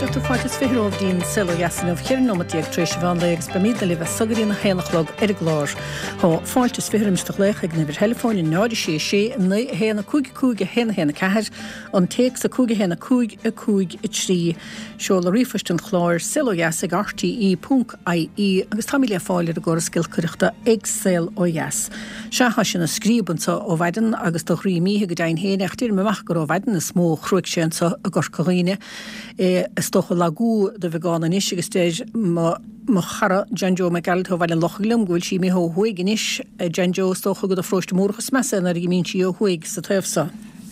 Cuirtear fáilte is 20 romhaibh dtí'n Saol Ó Dheas inniu, 14 nóimeat tar éis an mheán lae agus beimídne libh as so go dtí'n 1 a chlog ar an gclár. Tá fáilte is 20 roimis do ghlaoch ag an uimhir theileafóin 0 6 6 9 1 5 5 1 1 4, an téacs 5 1 5 5 3, seoladh ríomhphoist an chláir, saolodheas ag rte ponc ie agus táimid le fáil ar an gcóras giolcaireachta ag Saol Ó Dheas. Sea, tá sé ina scríob anso ó mhaidin agus do dhroim oíche go deimhin féin, ach déarfaidh mé amach gur ó mhaidin is mó a chruaigh sé anso i gCorca Dhuibhne. É is dócha lagú de bheagán anois agus deir mo mo chara John Joe Mac Gearailt ó Bhaile an Lochaigh liom go bhfuil sí imithe ó thuaidh anois. John Joe, is dócha gur do pharóiste Múrach is measa é nuair a imíonn sí ó thuaidh sa taobh so.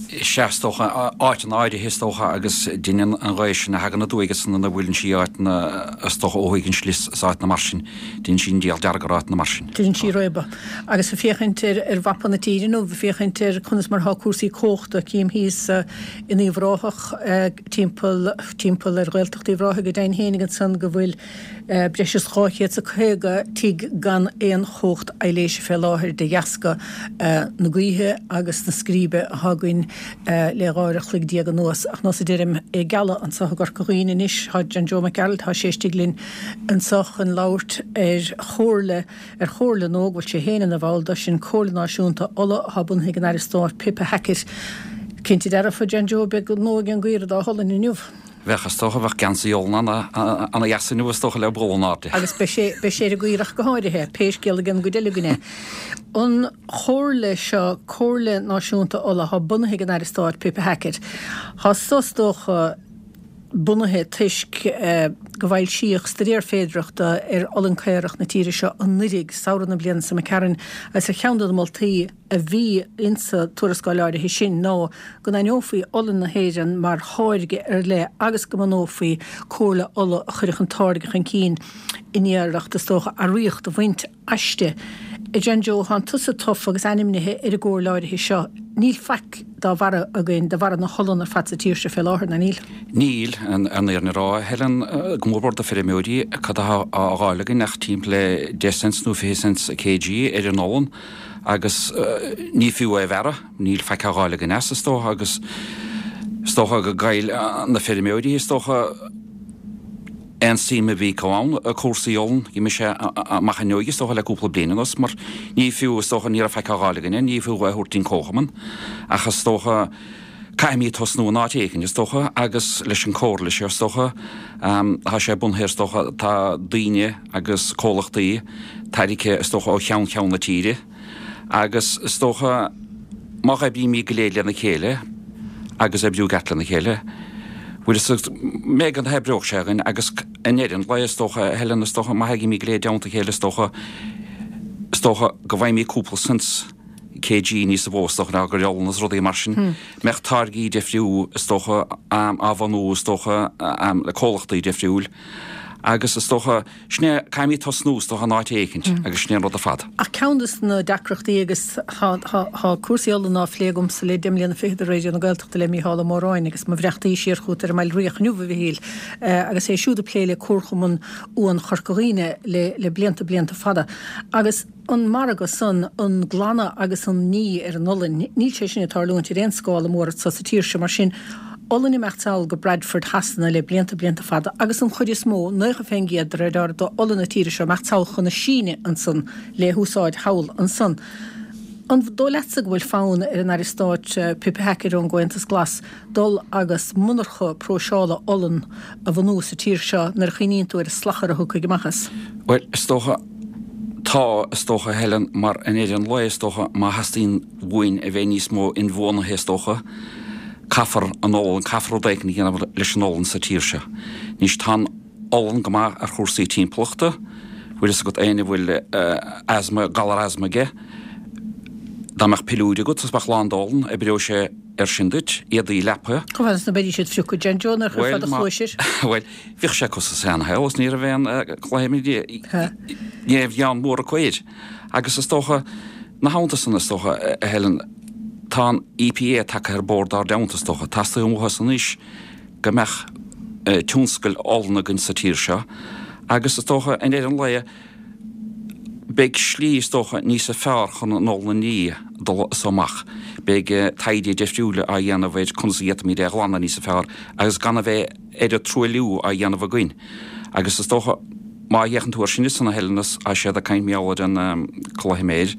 Sea, is dócha, áiteanna áirithe is dócha agus deineann an ghaoth sin a thagann aduaidh agus nuair a bhuaileann sí áiteanna is dócha ó thuaidh den slios is áiteanna mar sin, deineann sí an diabhal dearg ar áiteanna mar sin. Deineann sí réabadh. Agus ag féachaint ar ar mhapa na tíre inniu, ag féachaint ar conas mar atá cúrsaí cumhachta, cím thíos in Uíbh Ráthach, timpeall timpeall ar Ghaeltacht Uíbh Ráthaigh go deimhin féinig ansan go bhfuil breis is 250 tigh gan aon chumhacht aibhléise fé láthair de dheasca na gaoithe agus na scríbe atá againn le 12 uair a chloig anuas. Ach nós a deirim, i gCealla anso i gCorca Dhuibhne anois, tá John Joe Mac Gearailt, tá sé istigh linn anso chun labhairt ar chomhairle, ar chomhairle nua go bhfuil sé féin ina bhall de, sin Comhairle Náisiúnta Uladh atá bunaithe ag an Aire Stáit Pippa Hackett. Cinnte dearfa, John Joe, beidh gnó ag an gcaora dá olann inniu. Bheadh, is dócha, bheadh geansaí olann ana dheas inniu, is dócha, le bualadh in airde. Agus beidh sé, beidh sé ar an gcaorach go háirithe, pé scéal ag an gcuid eile againn é. An chomhairle seo, Comhairle Náisiúnta Uladh, atá bunaithe ag an Aire Stáit Pippa Hackett, tá so is dócha bunaithe toisc go bhfoilsíodh staidéar féidearthachta ar olann caorach na tíre seo anuiridh, samhradh na bliana seo imigh tharainn, agus ar cheann de na moltaí a bhí insa tuarascáil áirithe sin ná go n-aithneofaí olann na hÉireann mar tháirge ar leith agus go mbunófaí Comhairle Uladh a chuirfeadh an táirge chun cinn in iarracht, is dócha, earraíocht a bhaint aisti. A John Joe, thánn tusa tofa agus ainmnithe ar an gcomhairle áirithe seo. Níl faic dá bharra againn, de bharra na holann ar fad sa tír seo fé láthair, ná níl? Níl, an fhírinne a rá, a Helen, go mór mór do feirmeoirí, cad atá á dh'fháil againn ach timpeall le 10 cents nó 20 cents kg ar an olann agus ní fiú é a bhearradh, níl faic á dh'fháil againn as, is dócha, agus is dócha go gcaill na feirmeoirí, is dócha, aon suim a bhí acu ann i cúrsaí olann, d'imigh sé amach an fhuinneoig, is dócha, le cúpla bliain anuas, mar ní fiú, is dócha, ní raibh faic á dh'fháil againne, ní fiú é a thabhairt dtí'n comharchumann, ach is dócha, caithfimid tosnú in áit éicint, is dócha, agus leis an comhairle seo, is dócha, tá sé bunaithe, is dócha, tá daoine agus comhlachtaí tairgthe, is dócha, ó cheann ceann na tíre. Agus is dócha, má oibrímid go léir lena chéile, agus oibriú i gceart lena chéile, bhfuil fhios agat, b'fhéidir go n-oibreodh sé againn agus i ndeireadh an lae, is dócha, a Helen, is dócha, má thagaimid go léir i dteannta a chéile, is dócha, is dócha go bhfaighimid cúpla cents kg níosa mhó, is dócha, ná gur olann is rudaí mar sin. Mbeadh táirgí difriúil, is dócha, á bhunú, is dócha, le comhlachtaí difriúil agus is dócha, Sin é, caithfimid tosnú, is dócha, in áit éicint, agus sin é an rud ar fad. Ach ceann de na deacrachtaí, agus tá cúrsaí olann á phlé agamsa le deich mbliana fichead ar Raidió na Gaeltachta le Mícheál Ó Móráin agus mo bhreachtaí siar chugat ar an mBailríoch inniu, a Mhichíl, agus é siúd ag plé le Comharchumann Uan Chorca Dhuibhne le blianta blianta fada. Agus. An margadh san, an glanadh agus an ní ar an olann, níl sé sin ag tarlúint ar aon scála mór anso sa tír seo, mar sin, olann ag imeacht sall go Bradford Shasana le blianta, blianta fada, agus an chuid is mó, 90% de réir dealraimh, d'olann na tíre seo ag imeacht sall chun na Síne ansan le húsáid thall ansan. An dóigh leatsa go bhfuil fonn ar an Aire Stáit Pippa Hackett ón gComhaontas Glas dul agus monarcha próiseála olann a bhunú sa tír seo nuair a chuimhníonn tú ar an slachar a thiocfaidh amach as? Bhuel, is dócha, tá, is dócha, a Helen, mar i ndeireadh an lae, is dócha, má theastaíonn uainn a bheith níos mó inbhuanaithe, is dócha, caithfear an olann, caithfear rud éicint a dhéanamh leis an olann sa tír seo. Anois, tá an olann go maith ar chúrsaí timpeallachta, bhfuil fhios agat, éinne a bhfuil asma, galar asma aige, dá mbeadh piliúir agat is beadh lán d'olann, oibreoidh sé air sin duit, éadaí leapa. Chomh fada is ná beidís ag fiuchadh, John Joe, nuair a chuirfeá do chluais air. Bhuel, bhíodh sé acu sa seanshaol is ní raibh aon ní raibh gean mór acu air. Agus is dócha, ina theannta san, is dócha, a Helen, tá an EPA tagtha ar bord dár dteannta, is dócha. Teastaíonn uathu san anois go mbeadh tionscail olann againn sa tír seo agus is dócha, i ndeireadh an lae. Beidh slí, is dócha, níosa fearr chun an olann a ní dul as amach. Beidh taighde deifriúil á dhéanamh ar conas a d'fhéadfaimid é a ghlanadh níosa fearr agus gan a bheith oiread truailliú á dhéanamh againn. Agus is dócha, má fhéachann tú air sin ansan a Helen, is tá siad ag caint mar gheall ar an culaithiméir,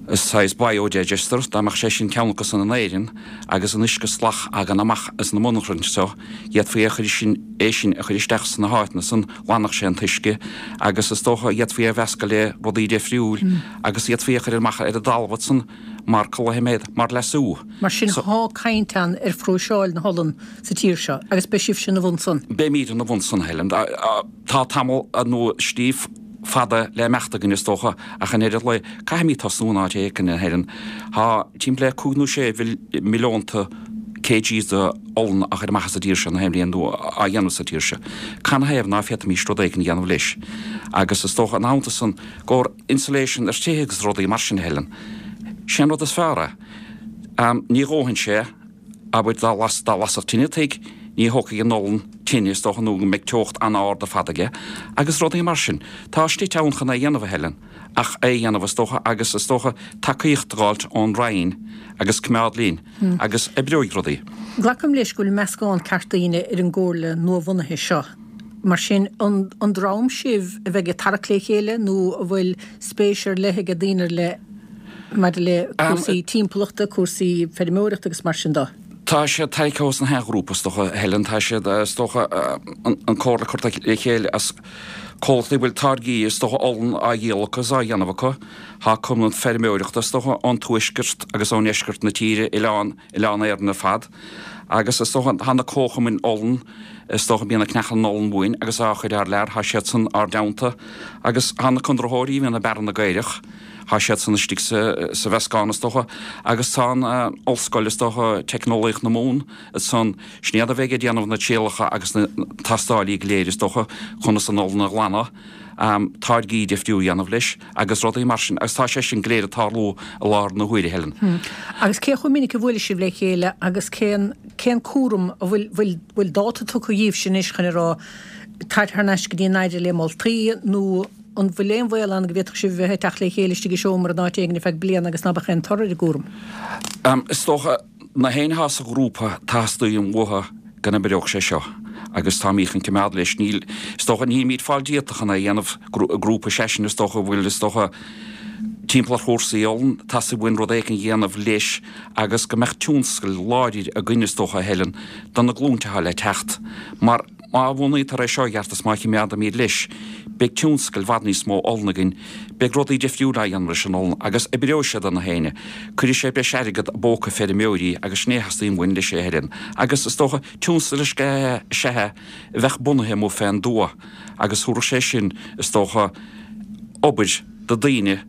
saghas biodigester, dá mbeadh sé sin ceann acu san in Éirinn agus an uisce salach a thagann amach as na monarchain seo, d'fhéadfaí é a chur sin, é sin a chur isteach sna háiteanna san, ghlanfadh sé an t-uisce agus is dócha d'fhéadfaí é a mheascadh le rudaí deifriúil agus d'fhéadfaí é a chur amach ar an dtalamh ansan mar culaithiméad, mar leasú. Mar sin thá caint ann ar phróiseáil na holann sa tír seo agus beidh sibhse ina bhun san. Beimíd ina bhun san, a Helen. Tá tamall nó slí fada le imeacht againn is dócha ach i ndeireadh lae caithfimíd tosnú in áit éicint, a Helen. Tá timpeall le cúig nó sé mhilliónta kgs de olann á chur amach as an dtír seo na haon bhliain nó á dhéanamh sa tír seo. Canathaobh ná féadfaimís rud éigin a dhéanamh leis? Agus is dócha ina theannta san i gcomhair insulation ar tithe agus rudaí mar sin, a Helen. Sé an rud is fearr é. Ní dhófaidh sé, abair, dá lasfadh tine tigh, ní thógfaidh an olann tine, is dócha, nó go mbeidh teocht an-ard ar fad aige, agus rudaí mar sin. Tá slite ann chun é a dhéanamh, a Helen, ach é a dhéanamh, is dócha, agus is dócha tacaíocht a dh'fháilt ón Roinn agus coimeád linn, agus oibreoidh rudaí. Glacaim leis go bhfuil meascán ceart daoine ar an gcomhairle nuabhunaithe seo. Mar sin, an dream sibh a bheidh ag tarrac le chéile nó an bhfuil spéis ar leith ag daoine ar leith maidir le cúrsaí timpeallachta, cúrsaí feirmeoireachta agus mar sin de? Tá siad tarraicthe os na haon ghrúpa, is dócha, a Helen. Tá siad, is dócha, an comhairle curtha le chéile as comhlachtaí a bhfuil táirgí, is dócha, olann á dhíol acu is á dhéanamh acu. Tá cumann feirmeoireachta, is dócha, ón tuaisceart agus ón ndeisceart na tíre, oileán, Oileán Éireann ar fad. Agus is dócha, tá na comharchumainn olann, is dócha, bíonn ag ceannach an olann uainn agus á chur thar lear, tá siad san ár dteannta. Agus tá na conraitheoirí a bhíonn ag bearradh na gcaorach, tá siad san istigh sa, sa mheascán, is dócha. Agus tá an ollscoil, is dócha, Teicneolaíocht na Mumhan, ansan, sin iad a bheidh ag déanamh na trialacha agus na tástáilí go léir, is dócha, conas an olann a ghlanadh. táirgí difriúil a dhéanamh leis agus rudaí mar sin agus tá sé sin go léir ag tarlú i láthair na huaire, Helen. Agus cé chomh minic a bhuaileann sibh le chéile agus cén cén cúram, an bhfuil bhfuil bhfuil dáta tugtha dhíbhse anois chun a rá tar thar n-ais go dtí an Aire le moltaí nó an bhfuil aon bhaol ann go bhféadfadh sibh a bheith ag teacht le chéile istigh i seomra in áit éigin ar feadh bliana agus ná beadh aon toradh ar an gcúram? Is dócha. Na héinne atá sa ghrúpa, teastaíonn uathu go n-oibreodh sé seo agus táimid chun coimeád leis. Níl, is dócha, nílimid fáil díolta chun é a dhéanamh, grúpa seisean, is dócha, a bhfuil, is dócha, timpeall ar chúrsaí olann, teastaíonn uainn rud éigin a dhéanamh leis agus go mbeadh tionscal láidir againn, is dócha, a Helen, do na glúinte atá le teacht. Mar. Má bhunaítear é seo i gceart is má chimeádaimid leis, beidh tionscal i bhfad níos mó olann againn, beidh rudaí difriúla á dhéanamh leis an olann agus oibreoidh sé do na héinne, cuirfidh sé breis airgead i bpóca feirmeoirí agus sin é a theastaíonn uainn leis a Helen. Agus is dócha, tionscal is ea é a bheadh bunaithe amuigh fén dtuath agus thabharfadh sé sin, is dócha, obair do daoine.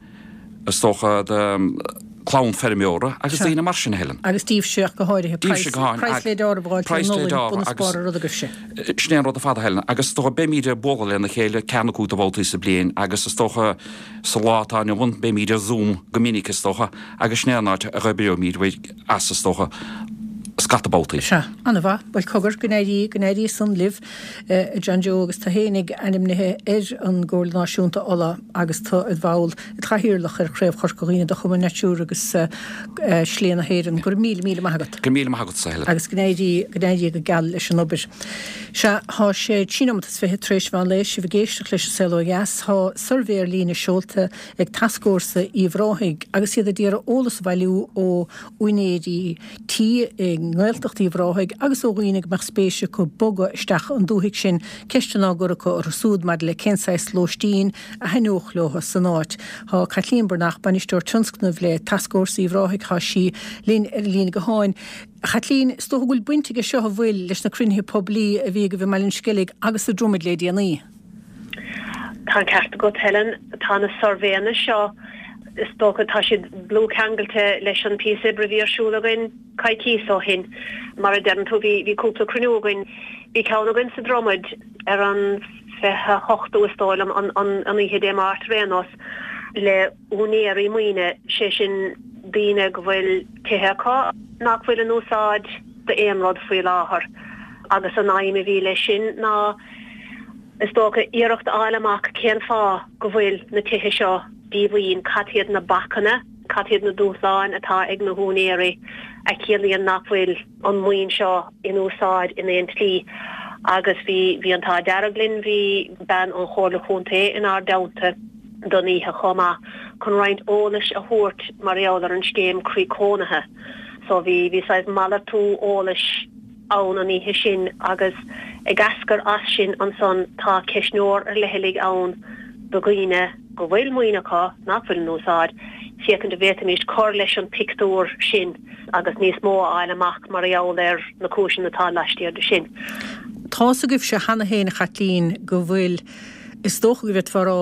is dócha, do chlann feirmeora agus daoine mar sin, a Helen. Agus díbhse ach go háirithe. Díbhse go háirithe. Praghas le deáramh a fháil ar an olann, bun is barr an ruda agaibhse. Sin é an rud ar fad, a Helen. Agus is dócha, beimíd ag bualadh lena chéile ceathair nó cúig de bhabhtaí sa bliain agus is dócha, sa lá atá inniu ann, beimíd ar Zoom go minic, is dócha, agus sin é an áit a oibreoimíd as, is dócha, scata babhtaí. Sea, an-mhaith. Bhuel, cogar, go n-éirí, go n-éirí san libh, a John Joe, agus tú fhéinig ainmnithe ar an gComhairle Náisiúnta Olla agus tú id bhall, id chathaoirleach ar Chraobh Chorca Dhuibhne de Chumann Natura agus Slí na hÉireann. Go raibh míle, míle maith agat. Go raibh míle maith agatsa, Helen. Agus go n-éirí, go n-éirí go geal leis an obair. Sea, tá sé trí nóimeat is fiche tar éis mheán lae, sibh ag éisteacht leis An Saol Ó Dheas. Tá suirbhé ar líne seolta ag Tascfhórsa Uíbh Ráthaigh agus iad ag iarraidh eolas a bhailiú ó úinéirí tí i nGaeltacht Uíbh Ráthaigh agus ó dhaoine go mbeadh spéis acu bogadh isteach an dúthaigh sin, ceisteanna á gcur acu orthu súd maidir le cén saghas lóistín a thaitneodh leo san áit. Tá Caitlín Breathnach, Bainisteoir Tionscnaimh le Tascfhórsa Uíbh Ráthaigh, tá sí linn ar an líne gutháin. A Chaitlín, is dócha go bhfuil baint aige seo, an bhfuil, leis na cruinnithe poiblí a bhí agaibh i mBaile an Sceilg agus sa Dromaid le déanaí? Tá an ceart agat, Helen. Tá na suirbhéanna seo, is dócha, tá siad dlúthcheangailte leis an píosa oibre a bhí ar siúl againn coicíos ó shin. Mar a deireann tú, bhí, bhí cúpla cruinniú againn. Bhí ceann againn sa Dromaid ar an 28ú, is dóigh liom, an, an, an oíche Dé Máirt ar aon nós, le úinéirí maoine, sé sin daoine go bhfuil tithe acu nach bhfuil in úsáid d'aon rud faoi láthair. Agus an aidhm a bhí leis sin ná. Is dócha, iarracht a fháil amach cén fáth go bhfuil na tithe seo díomhaoin, cad hiad na bacanna, cad hiad na dúshláin atá ag na húinéirí a chiallaíonn nach bhfuil an maoin seo in úsáid in aon tslí. Agus bhí, bhí an t-ádh dearg linn, bhí bean ón Chomhairle Chontae inár dteannta don oíche chomh maith chun roinnt eolais a thabhairt mar gheall ar an scéim Croí Cónaithe. So bhí, bhí saghas malartú eolais ann an oíche sin agus ag eascair as sin ansan tá ceistneoir ar leithligh ann do dhaoine go bhfuil maoin acu nach bhfuil in úsáid, féachaint an bhféadfaimís cur leis an pictiúr sin agus níos mó a fháil amach mar gheall ar na cúiseanna atá laistiar de sin. Tá's agaibhse cheana féin, a Chaitlín, go bhfuil, is dócha go bhféadfá a rá,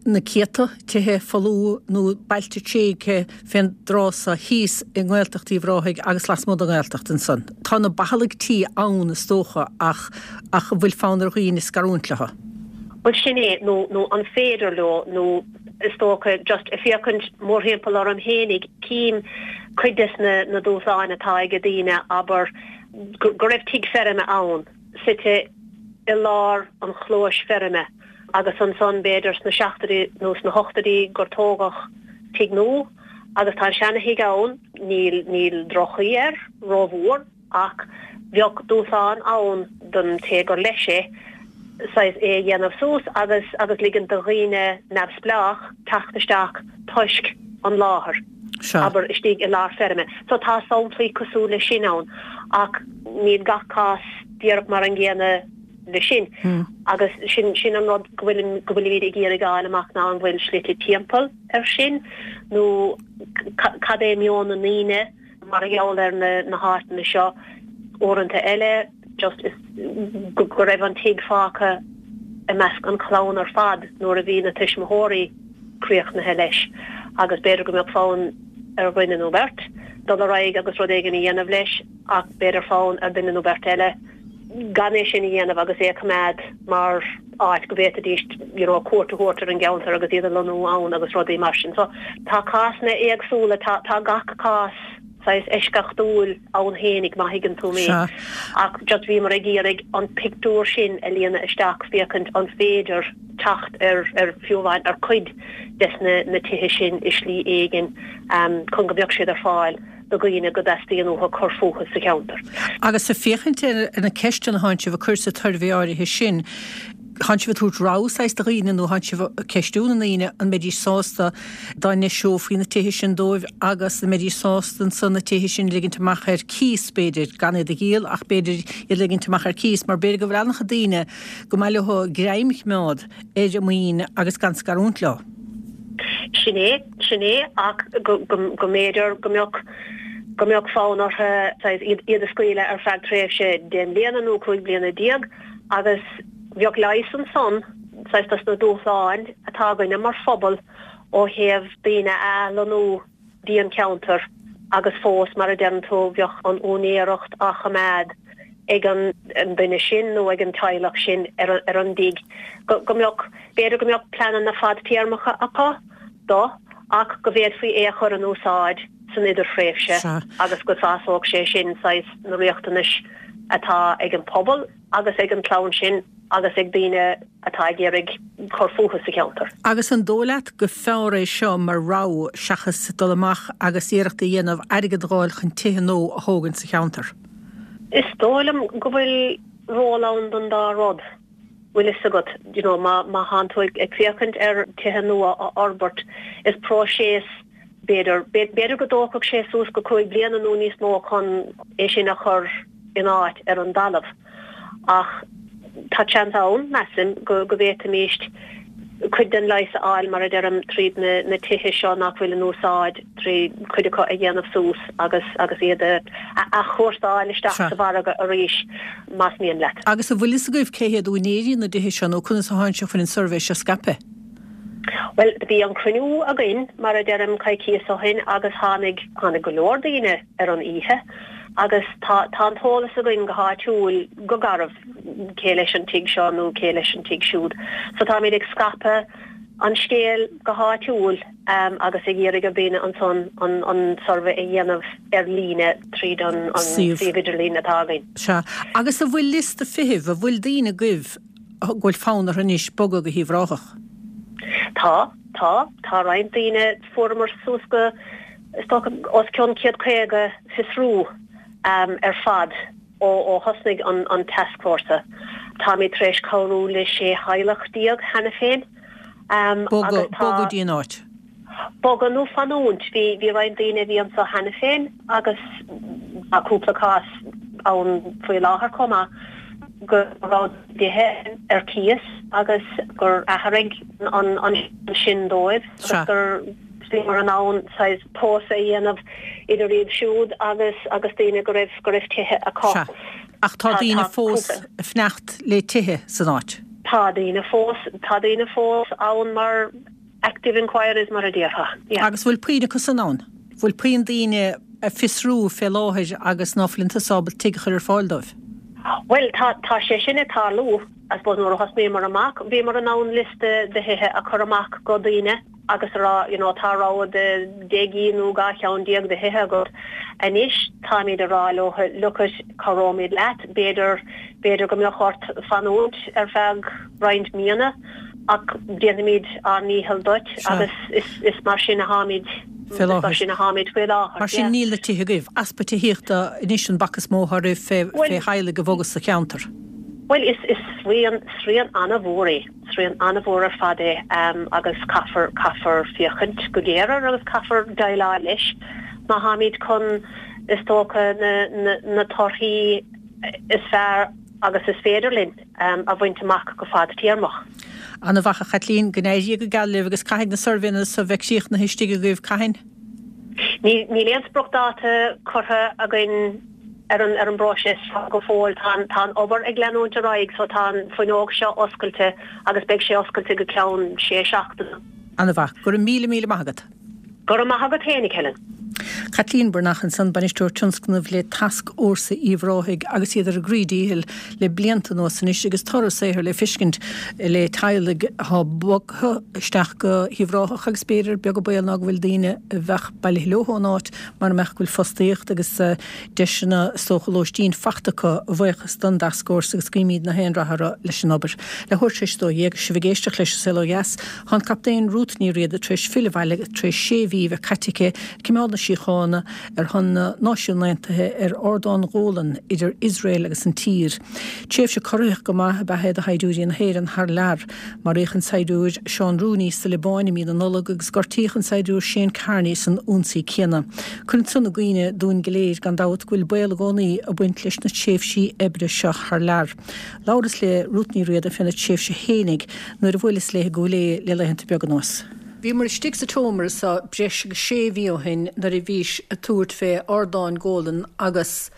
na céadta tithe folamh nó bailte tréigthe fén dtráth so thíos i nGaeltacht Uíbh Ráthaigh agus lasmuigh den Ghaeltacht ansan. Tá na bathalaigh tí ann is dócha ach ach an bhfuil fonn ar dhaoine scarúint leo? Bhuel sin é, nó nó an féidir leo nó is dócha just ag féachaint mórthimpeall orm fhéinig cím cuid des na na dúshláin atá ag daoine abair go go raibh tigh feirme ann suite i lár an chlóis feirme agus ansan b'fhéidir sna seachtóidí nó sna hochtóidí gur tógadh tigh nua agus tá an seana-thigh ann, níl, níl droch-chaoi air rómhór ach bheadh dúshlán ann don té gur leis é saghas é a dhéanamh suas agus, agus ligint do dhaoine neamhspleách teacht isteach toisc an láthair, abair, istigh i lár feirme. So tá samplaí cosúil leis sin ann ach níl gach cás díreach mar an gcéanna. leis sin. Agus sin, sin an rud go bhfuilim, go bhfuilimid ag iarraidh a fháil amach ná an bhfuil slite timpeall air sin nó cad é meon na ndaoine mar gheall ar na, na háiteanna seo. Uaireanta eile just is go, go raibh an tigh fágtha i measc an chlann ar fad nuair a bhí na tuismitheoirí críochnaithe leis agus b'fhéidir go mbeadh fonn ar dhuine nó beirt dul ar aghaidh agus rud éigin a dhéanamh leis ach b'fhéidir fonn ar dhuine nó beirt eile gan é sin a dhéanamh agus é a choimeád mar áit go bhféadfaidís you know cuairt a thabhairt ar an gceantar agus iad a lonnú ann agus rudaí mar sin. So tá cásanna éagsúla, tá tá gach cás saghas eisceachtúil ann fhéinig má thuigeann tú mé. Sea. Ach just bhíomar ag iarraidh an pictiúr sin a líonadh isteach féachaint an féidir teacht ar ar fiú amháin ar cuid des na na tithe sin i slí éigin chun go mbeadh siad ar fáil. do dhaoine go dteastaíonn uathu cur fúthu sa cheantar. Agus ag féachaint ar na ceisteanna atánn sibh a cur sa tsuirbhé áirithe sin, thánn sibh ag tabhairt rogha saghas do dhaoine nó thánn sibh ag ceistiú na ndaoine an mbeidís sásta dá ndeiseofaí na tithe sin dóibh agus an mbeidís sásta ansan na tithe sin a ligint amach ar cíos b'fhéidir, gan iad a dhíol ach b'fhéidir iad a ligint amach ar cíos mar b'fhéidir go bhfuil an-chuid daoine go mba mhaith leo greim a choimeád ar a maoin agus gan scarúint leo. Sin é, sin é, ach go, go, go mb'fhéidir go mbeadh, go mbeadh fonn orthu saghas iad, iad a scaoileadh ar feadh tréimhse 10 mbliana nó 15 bliana agus bheadh leigheas ansan saghas dos na dúshláin atá againne mar phobal ó thaobh daoine a athlonnú dtí an ceantar agus fós, mar a deireann tú, bheadh an úinéireacht á choimeád ag an duine sin nó ag an teaghlach sin ar an dtigh. Go mbeadh, b'fhéidir go mbeadh pleananna fadtéarmacha acu do ach go bhféadfaí é a chur in úsáid san idirthréimhse agus go sásódh sé sin saghas na riachtanais atá ag an pobal agus ag an chlann sin agus ag daoine atá ag iarraidh cur fúthu sa cheantar. Agus an dóigh leat go fearr é seo mar rogha seachas dul amach agus iarracht a dhéanamh airgead a dh'fháil chun tithe nua a thógaint sa cheantar? Is dóigh liom go bhfuil ról ann don dá rud, bhfuil fhios agat. You know, má má thánn tú ag féachaint ar tithe nua a fhorbairt, is próiseas b'fhéidir, b'fhéidir go dtógfadh sé suas go 5 bliana nó níos mó chun é sin a chur in áit ar an dtalamh. Ach tá seans ann, measaim, go bhféadfaimíst cuid den leigheas a fháil, mar a deirim, tríd na tithe seo nach bhfuil in úsáid, trí cuid acu a dhéanamh suas agus agus iad a athchúrsáil isteach sa mhargadh arís, más mian leat. Agus an bhfuil fhios agaibh cé hiad úinéirí na dtithe seo nó conas a thánn sibh chun an suirbhé seo a scaipeadh? Bhuel, bhí an cruinniú againn, mar a deirim, coicíos ó shin agus tháinig, tháinig go leor daoine ar an oíche agus tá, tá an t-eolas againn go háitiúil, go garbh, cé leis an tigh seo nó cé leis an tigh siúd. So táimid ag scaipeadh an scéil go háitiúil agus ag iarraidh ar dhaoine ansan an, an suirbhé a dhéanamh ar líne tríd an, an suíomh idirlín atá againn. Sea. Agus an bhfuil liosta feithimh, an bhfuil daoine agaibh? go bhfuil fonn orthu anois bogadh go hUíbh Ráthach. Tá, tá. Tá roinnt daoine, fuaireamar suas go, is dócha, os cionn 150 fiosrú ar fad ó thosnaigh an tascfhórsa. Táimid tar éis cabhrú le 16 theaghlach cheana féin agus tá. Bogadh go dtí an áit. Bogadh nó fanúint. Bhí bhí roinnt daoine a bhí anso cheana féin agus tá cúpla cás ann faoi láthair chomh maith go raibh tithe ar cíos agus gur athraigh an an sin dóibh agus gur bhíomar in ann saghas tomhas a dhéanamh idir iad siúd agus agus daoine go raibh go raibh tithe acu. Sea. Ach tá daoine fós ag fanacht le tithe san áit. Tá daoine fós tá daoine fós ann mar Active inquiries mar a déarfá, yeah. Agus bhfuil puinn acu san ann? Bhfuil puinn daoine ag fiosrú fé láthair agus ná fuileann tusa ábalta tigh a chur ar fáil dóibh? Bhuel, tá, tá sé sin ag tarlú. I suppose nuair a thosnaíomar amach, bhíomar in ann liosta de thithe a chur amach go daoine agus a rá, you know, tá rogha de 10 gcinn nó 12 cheann de thithe agat. Anois, táimid a rá leo, look it, cabhróimid leat, b'fhéidir, b'fhéidir go mbeadh ort fanúint ar feadh roinnt míonna, Ach déanfaimid ár ndícheall duit agus is mar sin atháimid, is mar sin atháimid faoi láthair. Mar sin níl na tithe agaibh. Easpa tithíochta anois an bac is mó atá roimh fé theaghlaigh a bhogadh sa cheantar. Bhuel is is srian, srian an-mhór é, srian an-mhór ar fad é agus caithfear, caithfear féachaint go géar air agus caithfear déileáil leis má tháimid chun is dócha na, na, na torthaí is fearr agus is féidir linn. a bhaint amach go fadtéarmach. Ana mhaith a Chaitlín, go n-éirí go geal libh agus caithfidh na suirbhéanna so bheith críochnaithe istigh agaibh, cathain? Níl aon spriocdháta curtha againn ar an ar an bpróiseas seo go fóill. Tá an tá an obair ag leanúint ar aghaidh so tá an fuinneog seo oscailte agus beidh sé oscailte go ceann sé seachtaine. Ana mhaith. Go raibh míle míle maith agat. Go raibh maith agat féinig, Helen. Caitlín Breathnach ansan, Bainisteoir Tionscnaimh le Tascfhórsa Uíbh Ráthaigh agus iad ar a gcroí díchill le blianta anuas anois agus toradh a saothair le feiscint le teaghlaigh atá bogtha isteach go hUíbh Ráthach agus b'fhéidir, beag an baol ná go bhfuil daoine a bheadh bailithe leo ón áit mara mbeadh go bhfuil fostaíocht agus deiseanna is dócha lóistín fachta acu a bhuíochas don dTascfhórsa agus guímid na haon rath orthu leis an obair. Leathuair tar éis 12 sibh ag éisteacht leis An Saol Ó Dheas. Tá an Captaen Ruth Ní Riada tar éis filleadh abhaile tar éis sé mhí a bheith caite aici ag coimeád na síochána ar shon na Náisiún Aontaithe ar Ardán Ghólan idir Iosrael agus an tír. Tréimhse corraitheach go maith ab ea é do shaighdiúirí na hÉireann thar lear. Maraíodh an saighdiúir Seán Rooney sa Liobáin i mí na Nollag agus gortaíodh an saighdiúir Shane Kearney san ionsaí céanna. Cuireann san i gcuimhne dúinn go léir gan dabht go bhfuil baol i gcónaí ag baint leis na tréimhsí oibre seo thar lear. Labhras le Ruth Ní Riada féna tréimhse fhéinig nuair a bhuaileas léi i gCúil Aodha le laethanta beaga anuas. Bhíomar istigh sa tseomra so breis agus sé mhí ó shin nuair a bhís ag tabhairt fé Ardán Golan agus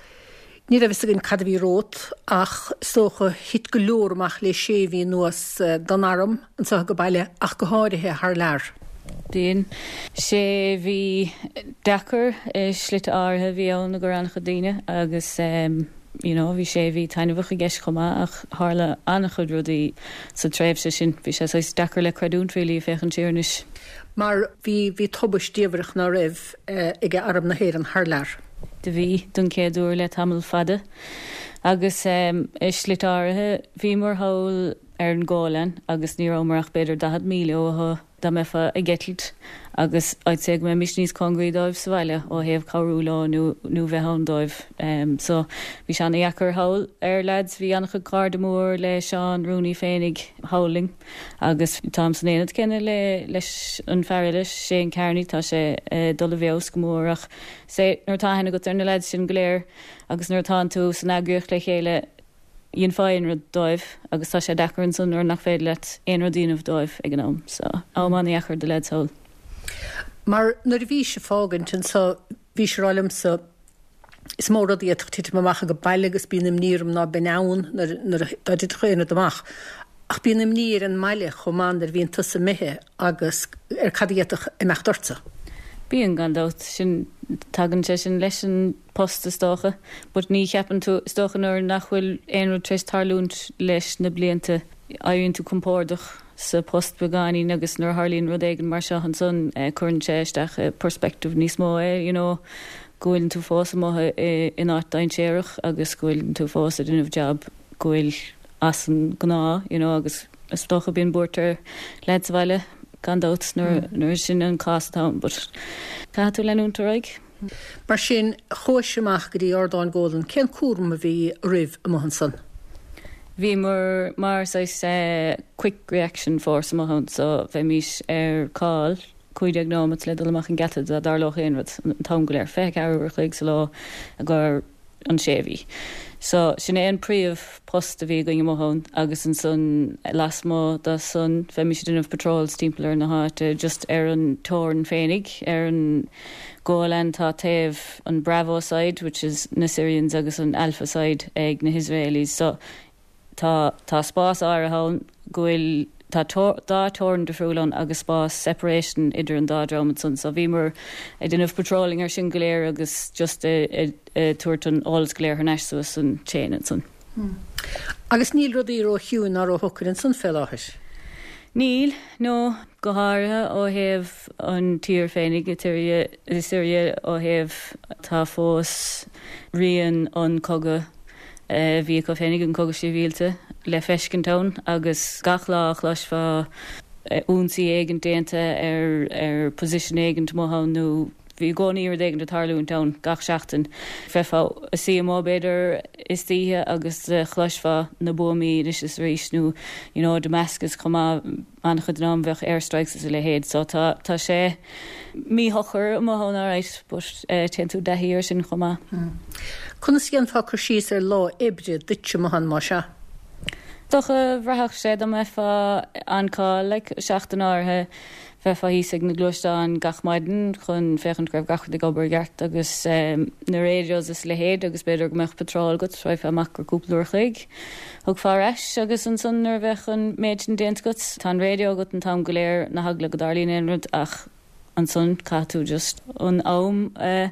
ní raibh fhios againn cad a bhí romhat ach is dócha thit go leor amach le sé mhí anuas don arm anseo age baile ach go háirithe thar lear. B'in sé mhí deacair i slite áirithe a bhí ann i gcomhair an-chuid daoine agus you know bhí sé mhí taitneamhach i gceist chomh maith ach tharla an-chuid rudaí sa tréimhse sin. Bhí sé saghas deacair le creidiúint really ag féachaint siar anois. Mar bhí, bhí tubaist diamhrach ná raibh ag Arm na hÉireann thar lear. Do bhí, don chéad uair le tamall fada agus i slite áirithe bhíomar thall ar an Golan agus ní rabhamar ach b'fhéidir 40 míle uathu dá mbeifeá ag eitilt agus I'd say go mbeimis níos cóngaraí dóibh sa bhaile ó thaobh cabhrú leo nó nó bheith ann dóibh. So bhí sé ana-dheacair thall ar leaids, bhí an-chuid cairde mór le Seán Rooney féinig thall linn agus táim san aonad céanna le leis an fear eile, Shane Kearney, tá sé ag dul i bhfeabhas go mór ach say nuair atá aithne agat ar na leaids sin go léir agus nuair atánn tú san eagraíocht le chéile dhéanfá aon rud dóibh agus tá sé deacair ansan nuair nach féidir leat aon rud a dhéanamh dóibh ag an am. So, am an-dheacair do leaids thall. Mar nuair a bhís ag fágaint anso bhís ag rá liomsa is mó rud a d'fhéadfadh titim amach age baile agus bíonn imní orm ná beinn ann nuair nuair dá dtitfeadh aon rud amach. Ach bíonn imní ar an mbaile chomh maith nuair a bhíonn tusa imithe agus ar cad a d'fhéadfadh imeacht ortsa. Bíonn, gan dabht. Sin, tagann sé sin leis an post is dócha. But ní cheapann tú, is dócha nuair nach bhfuil aon rud tar éis tarlúint leis na blianta, éiríonn tú compordach sa post beagáinín agus nuair a tharlaíonn rud éigin mar seo ansan cuireann sé isteach i perspective níos mó é, you know, go bhfuileann tú fós amuigh in áit dainséarach agus go bhfuileann tú fós ag déanamh job go bhfuil. as an ngnáth you know agus is dócha bíonn buairt ar leaids sa bhaile gan dabht nuair nuair sin an cás atá ann but caithfidh tú leanúint ar aghaidh. Mar sin, chuais amach go dtí Ardán Golan. Cén cúram a bhí oraibh amuigh ansan? Bhíomar mar saghas quick reaction force amuigh ann so bheimís ar call 15 nóimeat le dul amach an geata dá dtarlódh aon rud an t-am go léir, 24 uair a chloig sa lá i gcomhair an sé mhí. So, sin é an príomh post a bhí againn amuigh ann agus ansan lasmuigh de san bheimis ag déanamh patrols timpeall ar na háite just ar an teorainn féinig, ar an Golan tá taobh an Bravo side which is na Syrians agus an Alpha side ag na hIsraelis so Tá, tá spás áirithe ann go bhfuil, tá dá teorainn difriúil ann agus spás separation idir an dá dream ansan so bhíomar ag déanamh patrolling ar sin go léir agus just ag tabhairt an eolas go léir thar n-ais suas an chain ansan. Agus níl rudaí ró-chiúin ná ró-shocair ansan fé láthair? Níl, no, go háirithe ó thaobh an tír féinig, i Siria ó thaobh, tá fós rian an cogadh a bhí acu féinig, an cogadh sibhialta, le feiscint ann agus gach lá a chloisfeá ionsaí éigint déanta ar ar position éigint amuigh ann nó bhí i gcónaí rud éigint ag tarlúint ann gach seachtain. Bheifeá ag suí amuigh b'fhéidir istoíche agus chloisfeá na buamaí anois is arís nó you know Damascus chomh maith. An-chuid den am bheadh air strikes is a leithéid so tá tá sé míshocair amuigh ann alright but téann tú i dtaithí air sin chomh maith. Conas a dhéanfá cur síos ar lá oibre duitse amuigh ann más ea? Dócha bhraithfeadh sé dá mbeifeá on call like seachtain áirithe bheifeá thíos ag na gluaisteáin gach maidin chun féachaint go raibh gach rud ag obair i gceart agus na radios is a leithéid agus b'fhéidir go mbeadh patrol agat raghfá amach go cúpla uair a chloig. Thiocfá ar ais agus ansan nuair a bheadh an méid sin déanta agat, tá an raidió agat an t-am go léir, na heagla go dtarlaíonn aon rud ach ansan caithfidh tú just an am a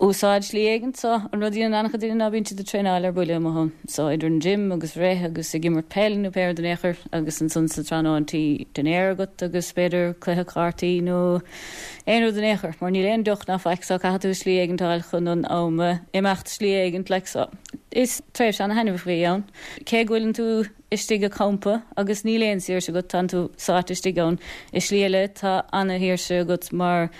úsáid slí éigint. So an rud a dhéanann an-chuid daoine ná bíonn siad ag traenáil ar buile amuigh ann. So idir an gym agus rith agus ag imirt peil nó pé rud in aon chor agus ansan sa tráthnóna tá dinnéar agat agus b'fhéidir cluiche cártaí nó aon rud in aon chor mar níl aon deoch ná faic so caithfidh tú slí éigint a fháil chun an am a imeacht slí éigint like so. Is tréimhse ana-thaitneamhach a bhí ann. Cé go bhfuileann tú istigh i gcampa agus níl aon saoirse agat, tánn tú sáite istigh ann. I slí eile, tá ana-shaoirse agat mar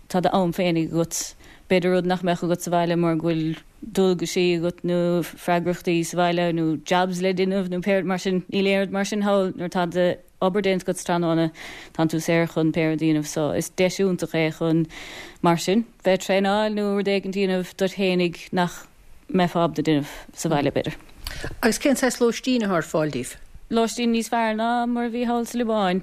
tá d'am féinig agat. B'fhéidir rud nach mbeadh agat sa bhaile mar go bhfuil dualgaisí agat nó freagrachtaí sa bhaile nó jobs le déanamh nó pé rud mar sin. Níl aon rud mar sin thall nuair atá do obair déanta agat sa tráthnóna, tánn tú saor chun pé rud a dhéanamh. So is deis iontach é chun mar sin bheith ag traenáil nó rud éigin a dhéanamh duit fhéinig nach mbeifeá ábalta déanamh sa bhaile, b'fhéidir. Agus cén saghas lóistín atá ar fáil daoibh? Lóistín níos fearr ná mar a bhí thall sa Liobáin.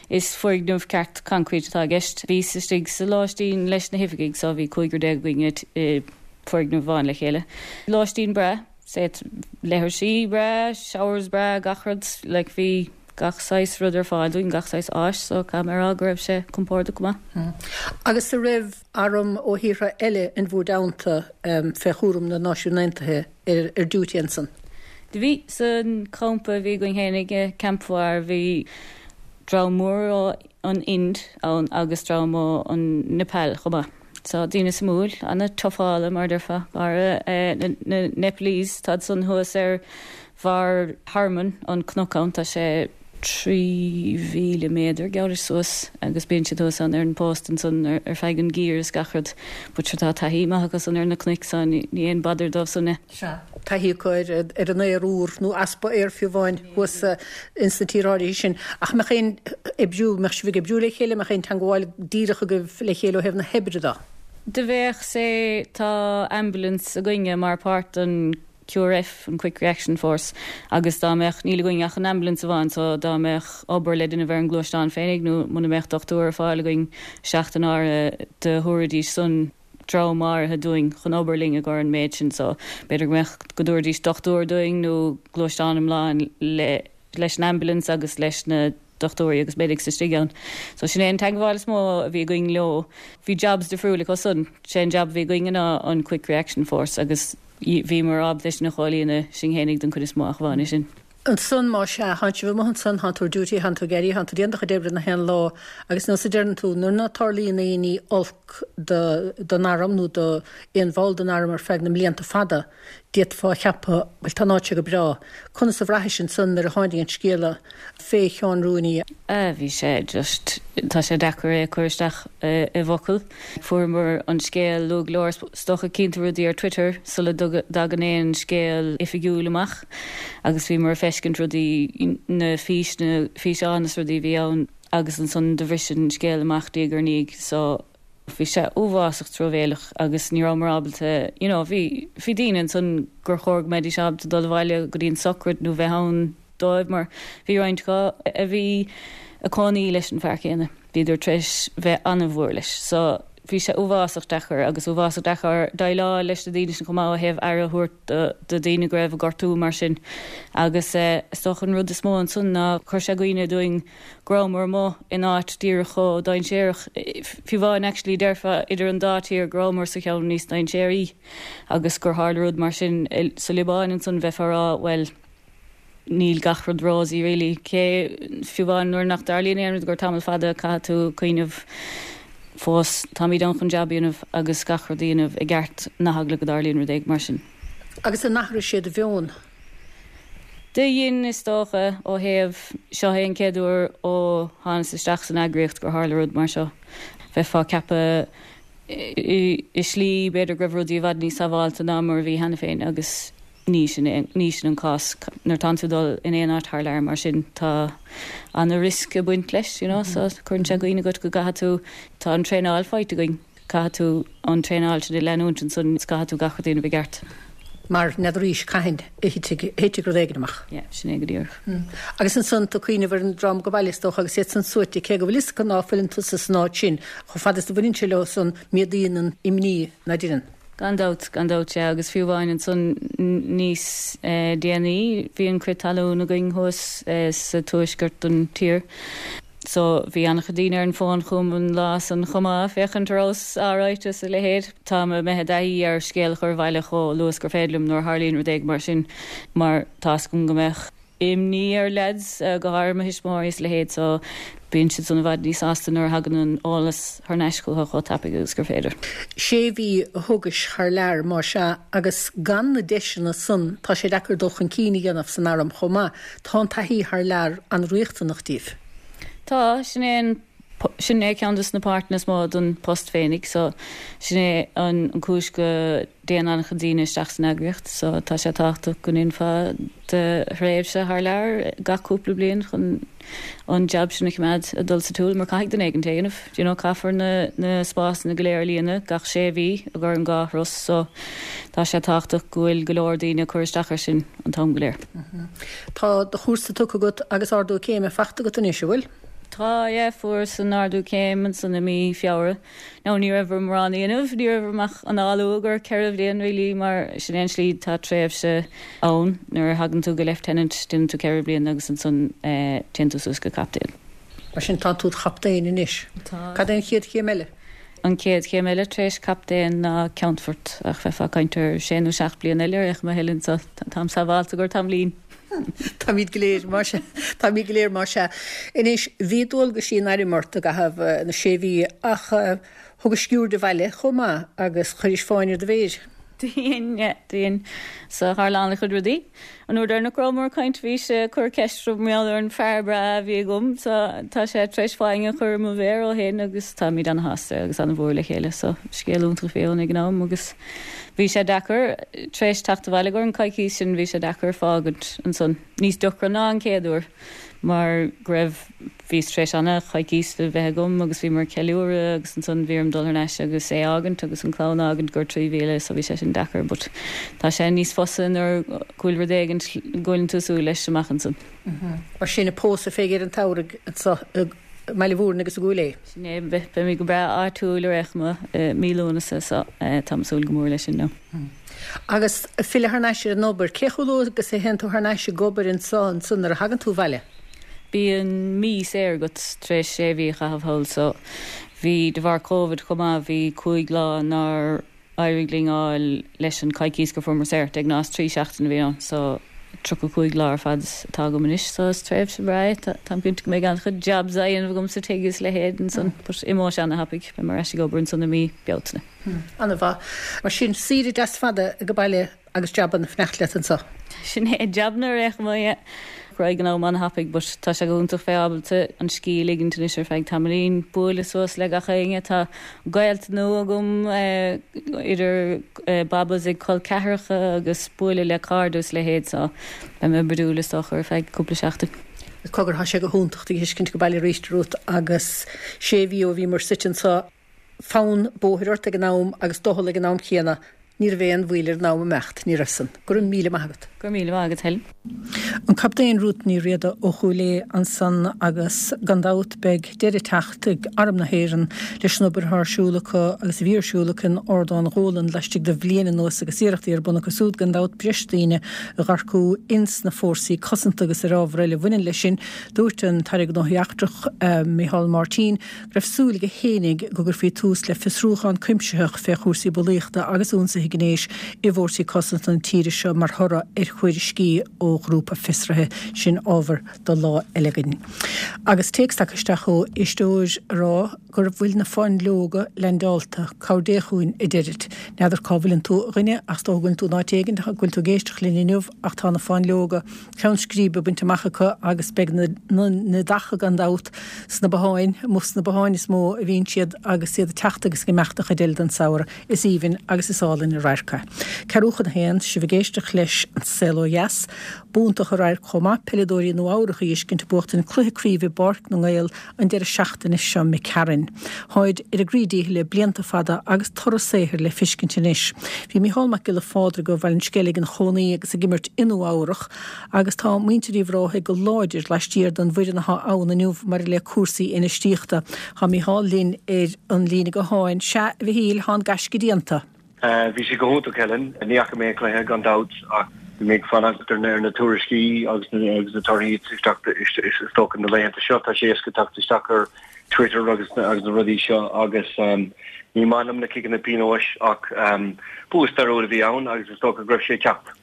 Is foirgneamh ceart concrete atá i gceist. Bhíos istigh sa lóistín leis na hoifigigh so bhí cúigear againn i bhfoirgneamh amháin le chéile. Lóistín breá, seit leithrisí breá, showers breá, gach rud, like bhí gach saghas rud ar fáil dúinn, gach saghas áis so caithfidh mé a rá go raibh sé compordach go maith. Agus an raibh arm ó thíortha eile in bhur dteannta fé chúram na Náisiún Aontaithe ar duty ansan? Do bhí. San champa a bhí againn fhéinig i Camp Fawwar bhí dream mór ó an Ind ann agus dream ó an Nepal chomh maith. So daoine suimiúil, ana-tufála mar a déarfá, go háirithe na Nepalese, táid san thuas ar bharr Hermon, an cnoc ann, tá sé 3,000 méadar, geall leis, suas agus bíonn siad thuas ann ar an post ansan ar feadh an geimhridh is gach rud. But sure tá taithí maith acu san ar na cnoic so ní aon bother dóibh san é. Sea, taithí acu ar an aer úr, nó easpa aeir fiú amháin, thuas ins na tíortha áirithe sin. Ach mbeadh aon oibriú, mbeadh sibh ag oibriú le chéile, mbeadh aon teangmháil díreach agaibh le chéile ó thaobh na hoibre de? Do bheadh, sea, tá ambulance againne mar páirt den QRF, an Quick Reaction Force, agus dá mbeadh, níl againn ach an ambulance amháin so dá mbeadh obair le déanamh ar an ngluaisteán féinig nó muna mbeadh dochtúir ar fáil againn seachtain áirithe do thabharfaidís san dream áirithe dúinn chun obair linn i gcomhair an méid sin so b'fhéidir go mbeadh, go dtabharfaidís dochtúir dúinn nó gluaisteán iomlán le leis an ambulance agus leis na dochtúirí agus medics istigh ann. So sin é an teagmháil is mó a bhí againn leo. Bhí jobs difriúil acu san. Sé an job a bhí againn ná an Quick Reaction Force agus bhíomar ábalta é sin a chomhlíonadh sinn fhéinig den chuid is mó ach amháin é sin. Ansan, má sea, thánn sibh amuigh ansan, thánn tú ar duty, thánn tú ag éirí, thánn tú ag déanamh do chuid oibre na haon lá agus nós a deireann tú, nuair ná tarlaíonn aon ní olc do, don arm nó do aon bhall den arm ar feadh na mblianta fada. D'fhéadfá a cheapadh, bhuel, tá an áit seo go breá. Conas a bhraithis ansan nuair a tháinig an scéala fé Sheán Rooney? Ah, bhí sé just, tá sé deacair é a chur isteach i bhfocail. Fuaireamar an scéal luath go leor, is dócha cíonn tú rudaí ar Twitter sula dtagann aon scéal oifigiúil amach agus bhíomar ag feiscint rudaí, na fís, na físeáin is rudaí a bhí ann agus ansan do bhris an scéal amach diaidh ar ndiaidh so, Bhí sé uafásach truamhéileach agus ní rabhamar ábalta, you know, bhí, bhí daoine ansan gur chóir go mbeidís ábalta dul abhaile go dtí an sochraid nó bheith ann dóibh mar bhí roinnt acu a bhí ag cónaí leis an fear céanna, bhíodar tar éis bheith an-mhór leis. So bhí sé uafásach deacair agus uafásach deacair déileáil leis na daoine sin chomh maith ó thaobh aire a thabhairt do, do daoine go raibh ag gortú mar sin. Agus eh, is dócha an rud is mó ansan ná chuir sé i gcuimhne dúinn go rabhamar amuigh in áit díreach chomh dainséarach, fiú amháin actually déarfá idir an dá tír go rabhamar sa cheann níos dainséaraí agus gur tharla rud mar sin sa Liobáin ansan bheifeá a rá bhuel níl gach rud rosy really cé fiú amháin nuair nach dtarlaíonn aon rud gur tamall fada caithfidh tú cuimhneamh fós táimid ann chun jab a dhéanamh agus gach rud a dhéanamh i gceart na heagla go dtarlaíonn rud éigin mar sin. Agus an athraigh sé do mheon? Do dhein, is dócha, ó thaobh, seo é an chéad uair ó thánas isteach san eagraíocht gur tharla rud mar seo. Bheifeá ag ceapadh i slí, b'fhéidir go raibh rudaí i bhfad níos sábháilte ná mar a bhí cheana féin agus ní sin é, ní sin an cás. Nuair atánn tú ag dul in aon áit thar lear mar sin tá ana-riosca ag baint leis, you know, so cuireann sé i gcuimhne duit go gcaithfidh tú, tá an traenáil faighte againn. Caithfidh tú an traenáil sin a leanúint ansan is caithfidh tú gach rud a dhéanamh i gceart. Mar n'fheadaraís cathain a thitfeadh rud éigin amach. Yeah, sin é go díreach. Agus ansan tú ag cuimhneamh ar an dream ag baile is dócha agus iad san suaite, cé go bhfuil fhios acu ná fuileann tusa san áit sin, chomh fada is a bhaineann sé leo san, méadaíonn an imní, ná deineann? Gan dabht, gan dabht, sea, agus fiú amháin ansan níos déanaí bhí an crith talún againn thuas sa tuaisceart den tír. So, bhí an-chuid daoine ar an bhfón chugam an lá san chomh maith, féachaint an rabhas alright is a leithéid. Táim imithe i dtaithí ar scéal a chur abhaile chomh luath is gur féidir liom nuair a tharlaíonn rud éigin mar sin, mar tá's agam go mbeadh imní ar leaids, go háirithe mo thuismitheoirí is a leithéid, so bíonn siad san i bhfad níos sásta nuair a thagann an eolas thar n-ais chucu chomh tapaidh agus gur féidir. Sé mhí a thugais thar lear, más ea, agus gan na deiseanna san tá sé deacair dul chun cinn a dhéanamh san arm chomh maith. Tá an taithí thar lear an-riachtanach díbh. Tá, sin é an, sin é ceann des na páirteanna is mó don post féinig so sin é an cúis go dtéann an-chuid daoine isteach san eagraíocht so tá sé tábhachtach go ndéanfá do thréimhse thar lear gach cúpla bliain chun an jab sin a choimeád ag dul sa tsiúl mar caithfidh duine éigin é a dhéanamh, do you know caithfear na na spásanna go léir a líonadh gach sé mhí ag ar an dhá thuras so tá sé tábhachtach go bhfuil go leor daoine ag cur isteach air sin an t-am go léir. Tá do chúrsa tugtha agat agus ardú céime faighte agat anois, an bhfuil? Tá, yeah, fuaireas an ardú céim ansan i mí Feabhra. Now ní raibh orm mórán a dhéanamh, ní raibh orm ach análú gur 4 bhliain really mar sin é an slí, tá tréimhse ann nuair a thagann tú go lieutenant, déanann tú 4 bliana agus ansan téann tú suas go captaen. Mar sin tá tú i do chaptaen anois. Tá. Cad é an chéad chéim eile? An chéad chéim eile tar éis captaen ná ceannfort, ach bheifeá ag caint ar sé nó seacht bliana eile ar aon chuma a Helen, so táim sábháilte gur tamaillín. Táimid go léir, más ea. Táimid go léir, más ea. Anois, bhí dualgaisí an airm ort i gcaitheamh na sé mhí ach thugais sciuird abhaile chomh maith agus chuiris fáinne ar do mhéir. Do dhein, yeah, do dhein. So tharla an-chuid rudaí. An uair deireanach go rabhamar ag caint bhís ag cur ceist orm mar gheall ar an fear breá a bhí agam so tá sé tar éis fáinne a chur ar mo mhéar ó shin agus táimid ana-shásta agus ana-mhór le chéile so scéal iontach a bhí ann ag an am agus bhí sé deacair tar éis teacht abhaile gur an coicís sin bhí sé deacair fágaint ansan níos deacra ná an chéad uair mar go raibh Bhíos tar éis ana-choicís a bheith agam agus bhíomar ag ceiliúradh agus ansan bhí orm dul thar n-ais agus é fhágaint agus an clann a fhágaint gur 3,000 so bhí sé sin deacair but tá sé níos fusa nuair go bhfuil rud éigint go bhfuileann tú súil leis amach ansan. Mar sin an pósadh fé dheireadh an tsamhraidh anso i mBaile Mhúirne agus i gCúil Aodha. Sin é, beimid go breá áitiúil ar aon chuma i mí Lúnasa so táim ag súil go mór leis sin now. Agus filleadh thar n-ais ar an obair, cé chomh luath agus a théann tú thar n-ais ag obair anso ansan nuair a thagann tú abhaile? Bíonn mí saor agat tar éis sé mhí a chaitheamh thall so bhí, de bharr Covid chomh maith, bhí 5 lá nár éirigh linn fháil leis an coicís gur fuaireamar saor. De ghnáth is 3 seachtaine a bhí ann so 35 lá ar fad atá agam anois so is tréimhse bhreá é. Táim cinnte go mbeidh an-chuid jobs á dhéanamh agam sa tigh is a leithéid ansan but imeoidh sé ana-thapaidh, beidh mé ar ais ag obair ansan i mí Bealtaine. Ana-mhaith. Mar sin, saoire deas fada ag baile. Agus jabanna ag fanacht leat anso. Sin é, jabanna ar aon chuma, yeah. Raghaidh an am an-thapaidh but tá sé go hiontach bheith ábalta an scíth a ligint anois ar feadh tamaillín, bualadh suas le gach éinne. Tá gaolta nua agam, idir babas ag col ceathracha agus bualadh le cairde is a leithéid so beidh mé bródúil is dócha ar feadh cúpla seachtain. Cogar, tá sé go hiontach tú a fheiscint ag baile arís, a Ruth, agus sé mhí ó bhíomar suite anso, fonn bóthair ort ag an am agus doicheall ag an am chéanna. Ní raibh aon mhoill ar an am imeacht, ní raibh san. Go raibh míle maith agat. Go raibh míle maith agat, Helen. An Captaen Ruth Ní Riada ó Chúil Aodha ansan agus gan dabht beidh deireadh ag teacht ag Arm na hÉireann leis an obair atá ar siúl acu agus a bhí ar siúl acu in Ardán Dhólan laistigh de bhliain anuas agus iarrachtaí ar bun acu súd gan dabht breis daoine a dh'earcú ins na fórsaí cosanta agus ar ábhar eile a bhaineann leis sin. Dúirt an tAire Gnóthaí Eachtracha Micheál Martin go raibh súil aige fhéinig go gcuirfí tús le fiosrúchán cuimsitheach fé chúrsaí bulaíochta agus ionsaithe gnéis i bhfórsaí cosanta na tíre seo mar thoradh ar thuairiscí ó ghrúpa fiosraithe. Sin ábhar do lá eile againn. Agus téacs tagtha isteach ó éisteoir a rá go bhfuil na fáinleoga leaindeálta. Cabhair Dé chugainn, a deirid. N'fheadar cá bhfuileann tú, a dhuine, ach is dócha go bhfuileann tú in áit éigin go bhfuil tú ag éisteacht linn inniu ach tá na fáinleoga ceann scríbe bainte amach acu agus beidh na neadacha gan dabht sna botháin, amuigh sna botháin is mó a bhíonn siad agus iad ag teacht agus ag imeacht an chuid eile den samhradh. Is aoibhinn agus is álainn an radharc é. Ceathrú chun a haon, sibh ag éisteacht leis An Saol Ó Dheas. B'iontach an radharc chomh maith peileadóirí Nua Eabhrach a fheiscint ag buachtaint cluiche craoibhe i bPáirc na nGael an deireadh seachtaine seo imigh tharainn. Tháid ar a gcroí díchill le blianta fada agus toradh saothair le fiscint anois. Bhí Mícheál Mac Giolla Phádraig ó Bhaile an Sceilg ina chónaí agus ag imirt i Nua Eabhrach agus tá muintir Uíbh Ráthaigh go láidir laistiar den bhfoireann athá ann inniu maidir le cúrsaí infheistíochta. Tá Mícheál linn ar an líne gutháin. Sea, a Mhichíl, thá an gaisce déanta. Bhí sé go hiontach, Helen. Ní fhaca mé an cluiche, gan dabht, ach bhí mé ag fanacht ar na tuairiscí agus na torthaí isteach, is dócha, na laethanta seo. Tá sé éasca teacht isteach ar Twitter agus na rudaí seo agus ní maith liom na ciceanna pionóis ach bua stairiúil a bhí ann agus is dócha go raibh sé ag teacht.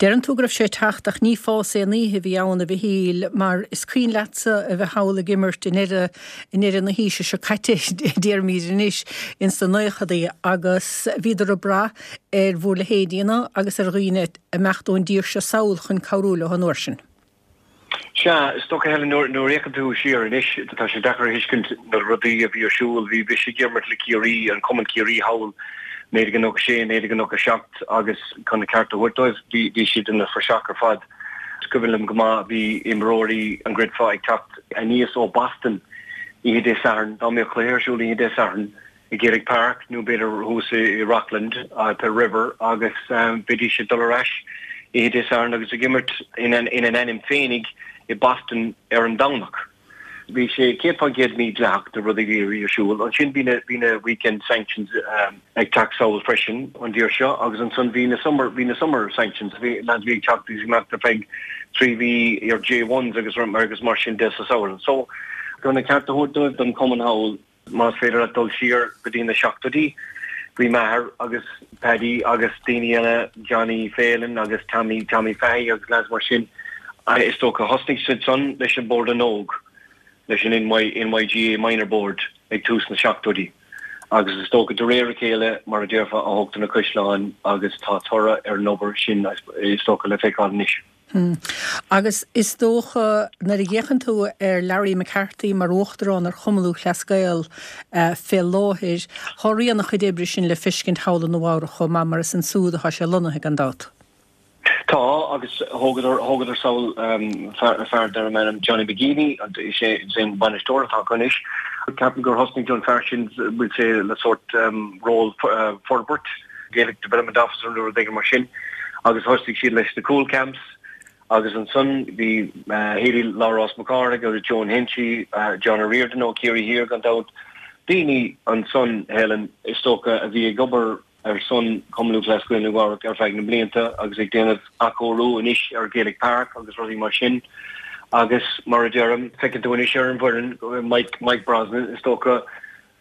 Deireann tú go raibh sé ag teacht ach ní fás aon oíche a bhí ann, a Mhichíl, mar is cuimhin leatsa a bheith thall ag imirt i ndeireadh, i ndeireadh na haoise seo caite, déarfaimid anois, ins na naochadaí agus bhíodar ag brath ar bhur leithéidíanna agus ar dhaoine ag imeacht ón dtír seo sall chun cabhrú leo an uair sin. Sea, is dócha, Helen, nuair a fhéachann tú siar anois, tá sé deacair a thuiscint na rudaí a bhí ar siúl. Bhí mise ag imirt le Ciarraí, an cumann Ciarraí thall, 1996, 1997 agus chun an ceart a thabhairt dóibh, bhí siad ina phraiseach ar fad. Is cuimhin liom go maith, bhí imreoirí an gcreidfeá ag teacht aníos ó Boston oíche Dé Sathairn, dá mbeadh cluiche ar siúl oíche Dé Sathairn, i Gaelic Park nó b'fhéidir thuas i Rockland, the River agus bheidís ag dul ar ais oíche Dé Sathairn agus ag imirt ina n-ainm féinig i Boston ar an Domhnach. Bhí sé 100% mídhleathach na rudaí a bhí ar siúl. Ansin bhí na bhí na weekend sanctions ag teacht sall freisin an dtír seo agus ansan bhí na summer bhí na summer sanctions bhí lads bhí ag teacht agus ag imeacht ar feadh 3 mhí ar J1s agus agus mar sin de sa samhradh. So chun an ceart a thabhairt dóibh don chumann thall Más féidir leat dul siar go dtí na seachtóidí, bhí m'athair agus Paddy agus daoine eile, Johnny Phelan agus Tommy, Tommy Fahy agus lads mar sin, is dócha. Thosnaigh siad san leis an Bord na nÓg, leis an NY, NYGA Minor Board ag tús na seachtóidí. Agus is dócha de réir a chéile, mar a déarfá, a thógtar na caisleáin agus tá toradh ar an obair sin is dócha le feiceáil anois. Agus is dócha, nuair a fhéachann tú ar Larry McCarthy mar Uachtarán ar Chumann Lúthchleas Gael fé láthair, thá rian a chuid oibre sin le feiscint thall i Nua Eabhrac chomh maith, mar is ansúd athá sé lonnaithe, gan dabht. Tá, agus thógadar, thógadar sall fear, fear darbh ainm Johnny McGeeney, is é, is é an bainisteoir atá acu anois. Ceapaim gur thosnaigh an fear sin, bhfuil sé le sórt ról forbairt, Gaelic Development Officer nó rud éigin mar sin agus thosaigh siad leis na Cúl Camps agus ansan bhí Héilí Labhrás Mac Cárthaigh agus Joan Henchy, John O'Riordan ó Ciarraí Thiar gan dabht, daoine ansan, Helen, is dócha a bhí ag obair ar son Chumann Lúthchleas Gael Nua Eabhrac ar feadh na mblianta agus ag déanamh athchóiriú anois ar Gaelic Park agus rudaí mar sin agus mar a deirim, feiceann tú anois ar an bhfoireann Mike, Mike Brosnan is dócha,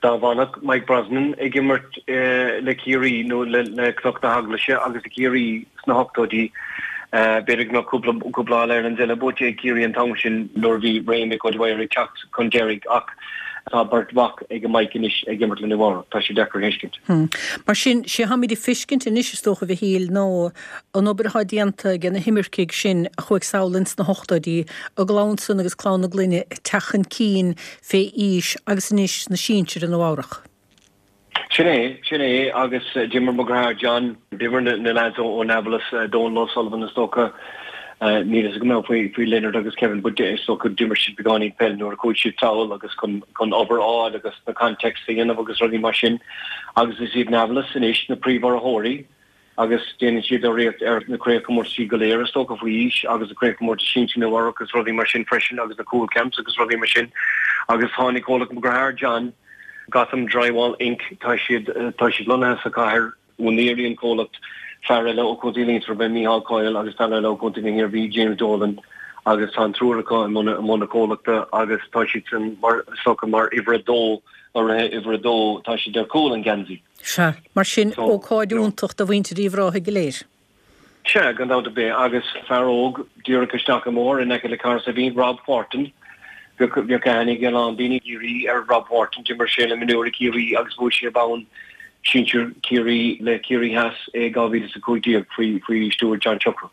Dá bhfanfadh Mike Brosnan ag imirt le Ciarraí nó le Cnoc na hEaglaise agus le Ciarraí sna hochtóidí, b'fhéidir go mbeadh cúpla All Irelands eile buaite ag Ciarraí an t-am sin nuair a bhí ré Mick O'Dwyer ag teacht chun deiridh. Ach. Tá beirt mhac ag Mike anois ag imirt le Nua Eabhrac. Tá sé deacair a thuiscint. Mar sin, sé tháimid ag feiscint anois is dócha, a Mhichíl, ná an obair atá déanta ag na himircigh sin a chuaigh sall ins na hochtóidí, a gclann san agus clann a gclainne ag teacht chun cinn fé aois agus anois sna sinsir i Nua Eabhrac. Sin é, sin é, agus d'imir mo dheartháir John, d'imir na lads ó Navelas, Donal O'Sullivan is dócha, níl a fhios agam faoi faoi Leonard agus Kevin but is dócha d'imir siad beagáinín peil nuair a chuaigh siad sall agus chun chun obair a fháil agus na contacts a dhéanamh agus rudaí mar sin agus is iad Navelas anois na príomhurraitheoirí agus déanann siad urraíocht ar na craobhchomórtaisí go léir is dócha faoi aois agus na craobhchomórtais sinsir Nua Eabhrac agus rudaí mar sin freisin agus na Cúl Camps agus rudaí mar sin agus tháinig comhlacht mo dhearthár John, Gotham Drywall Inc. Tá siad tá siad lonnaithe sa chathair, úinéirí an comhlacht, fear eile ó Chontae Liatroma, Micheál Coyle agus fear eile ó Chontae na hIarmhí, James Dolan agus tá an triúr acu i mbun i mbun na comhlachta agus tá siad san mar is dócha mar uimhir a dó, urraithe uimhir a dó, tá siad ar chúl an gheansaí. Sea, mar sin, ócáid iontach do mhuintir Uíbh Ráthaigh go léir. Sea, gan dabht ar bith. Agus fear óg díreach isteach an mbóthar in aice le Cahersiveen, Rob Wharton. Bheadh, bheadh aithne ag a lán daoine i gCiarraí ar Rob Wharton. D'imir sé le mionúirí Chiarraí agus bhuaigh sé bonn sinsir Chiarraí le Ciarraí Theas i 2015 faoi, faoi stiúir John Chuckroo.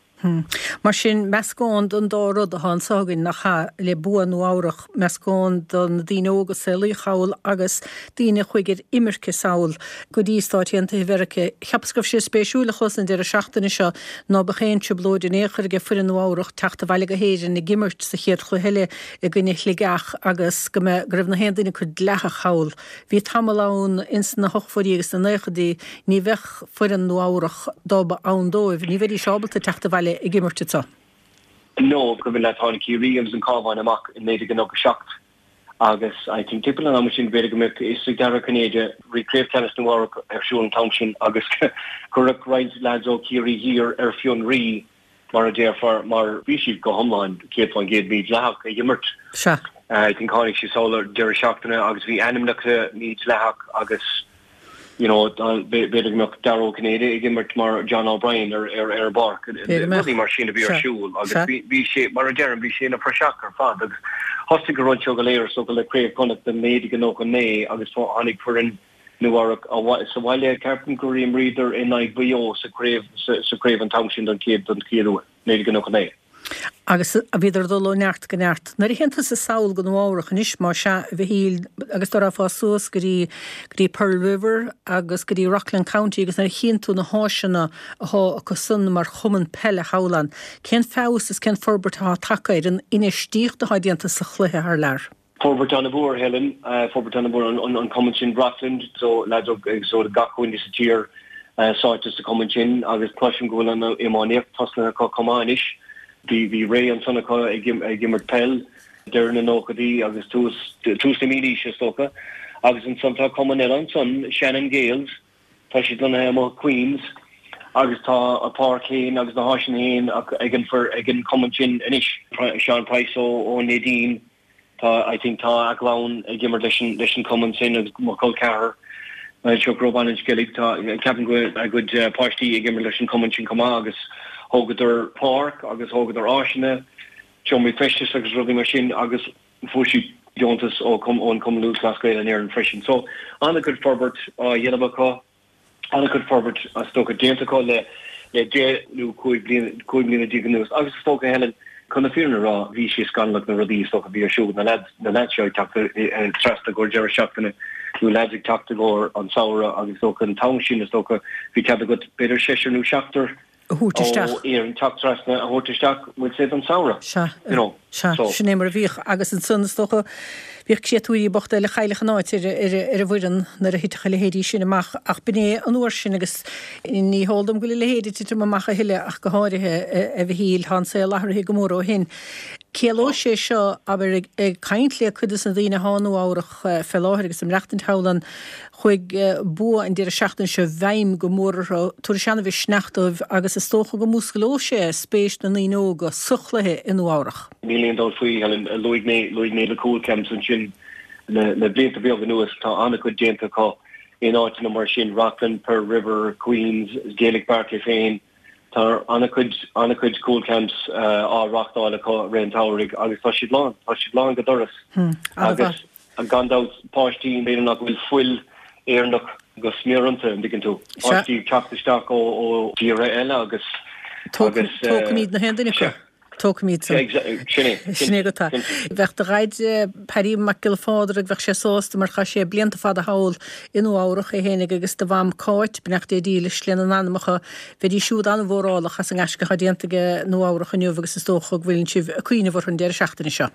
Mar sin, meascán den dá rud atá anseo againn, nach ea, le bua Nua Eabhrach, meascán de na daoine óga a saolaíodh thall agus daoine a chuaigh ar imirce sall go dtí Stáit Aontaithe Mheiriceá. Cheapas go raibh sé spéisiúil a chlos an deireadh seachtaine seo ná beadh aon trioblóid in aon chor aige foireann Nua Eabhrach teacht abhaile go hÉirinn ag imirt sa chéad chluiche eile i gcoinne Shligeach agus go mbeadh, go raibh na haon duine acu dleathach thall. Bhí tamall ann ins na hochtóidí agus na naochaidí, ní bheadh foireann Nua Eabhrach, dá mba ann dóibh, ní bheidís ábalta teacht abhaile ag imirt anseo. No, cuimhin leat, tháinig Ciarraí agus an Cabhán amach i 1997 agus I think timpeall an ama sin b'fhéidir go mbeadh fhios ag Dara Ó Cinnéide, bhí Craobh Ceannais Nua Eabhrac ar siúl an t-am sin agus cuireadh roinnt lads ó Chiarraí Thiar ar fionraí mar a déarfá, mar bhí siad go hiomlán 100% mídhleathach ag imirt. Sea. I think tháinig siad sall ar deireadh seachtaine agus bhí ainmneacha mídhleathach agus you know b'fhéidir go mbeadh Dara Ó Cinnéide ag imirt mar John O'Brien ar ar ar an bpáirc. Rudaí mar sin a bhí ar siúl agus bhí bhí sé mar a deirim bhí sé ina phraiseach ar fad agus thosaigh an rud seo go léir is dócha le Craobh Chonnacht i 1999 agus tháinig foireann Nua Eabhrac sa bhaile. Ceapaim gur imríodar in aghaidh Mhaigh Eo sa chraobh sa chraobh an t-am sin don chéad don chéad uair, 1999. Agus bhíodar ag dul ó neart go neart. Nuair a théann tusa sall go Nua Eabhrac anois, má sea, a Mhichíl, agus dá rachfá suas go dtí go dtí Pearl River agus go dtí Rockland County agus nuair a chíonn tú na háiseanna athá acu san mar chumann peile thall ann, cén feabhas is cén forbairt athá tagtha ar an infheistíocht athá déanta sa chluiche thar lear? Forbairt an-mhór, Helen, forbairt an-mhór, an cumann sin Rockland, so lads ó so gach cúinne sa tír sáite sa chumann sin agus cloisim go bhfuil an iománaíocht tosnaithe acu chomh maith anois. Bhí bhí ré ansan acu ag ag imirt peil deireadh na nóchaidí agus tús tús na mílaoise is dócha. Agus ansan tá cumann eile ansan, Shannon Gaels, Tá siad lonnaithe amuigh i Queens agus tá a páirc féin agus na háiseanna féin ag an ag an cumann sin anois. Seán Price ó ón Neidín, tá I think tá a gclann ag imirt leis an leis an cumann sin agus mo chol ceathar Chuck Ó Baile an Sceilg, tá ceapaim go bhfuil a gcuid páistí ag imirt leis an cumann sin chomh maith agus thógadar páirc agus thógadar áiseanna, seomraí feistis agus rudaí mar sin agus Fuair siad deontas ó ón Cumann Lúthchleas Gael in Éirinn freisin. So, an-chuid forbairt á dhéanamh acu, an-chuid forbairt is dócha déanta acu le le 10 nó 15 bliana, 15 mbliana anuas. Agus is dócha, Helen, chun na fírinne a rá, bhí sé scannalach na rudaí is dócha a bhí ar siúl, na lads, na lads seo ag teacht trasna i gcomhair deireadh seachtaine nó lads ag teacht i gcomhair an samhradh agus is dócha an t-am sin is dócha bhí cead agat b'fhéidir seisear nó seachtar a thabhairt isteach. ó Éirinn teacht trasna a thabhairt isteach, we'll say don samhradh. Sea, you know, sea, so. Sin é mar a bhíodh agus ansan is dócha bhíodh créatúirí bochta eile a chaillfeadh a n-áit ar ar an bhfoireann nuair a thitfeadh a leithéidí sin amach ach b'in é an uair sin agus ní heol dom go bhfuil a leithéid ag titim amach a thuilleadh ach go háirithe, a Mhichíl, tá an saol athraithe go mór ó shin. Ciallóidh sé seo, abair, ag caint le cuid de na daoine athá i Nua Eabhrach fé láthair agus ag maireachtaint thall ann, Chuaigh bua an deireadh seachtaine seo i bhfeidhm go mór orthu, tabharfaidh sé an-mhisneach dóibh agus is dócha go músclóidh sé spéis na ndaoine óga sa chluiche i Nua Eabhrach. Níl aon dabht faoi, Helen. Luaigh mé, luaigh mé na Cúl Camps ansin le, le blianta beaga anuas. Tá an-chuid déanta acu in áiteanna mar sin, Rockland, Pearl River, Queens, Gaelic Park é féin. Tá an-chuid, an-chuid Cúl Camps á reáchtáil acu i rith an tsamhraidh agus tá siad lán, tá siad lán go doras. Agus. Gan dabht, páistí, b'fhéidir nach bhfuil fuil Éireannach go smior iontu, an dtuigeann tú? Páistí ag teacht isteach ó thíortha eile agus. Tógfaimid na haon duine acu. Tógfaimid san. Sin é. Sin é go tá. Bheadh do dhaid, Paddy Mac Giolla Phádraig, bheadh sé sásta mar chaith sé blianta fada thall i Nua Eabhrach é fhéinig agus do mham Cáit, beannacht Dé dílis lena n-anamacha, bheidís siúd an-mhórálach as an ngaisce atá déanta aige Nua Eabhrach inniu agus is dócha go bhfuileann sibh ag cuimhneamh orthu an deireadh seachtaine seo.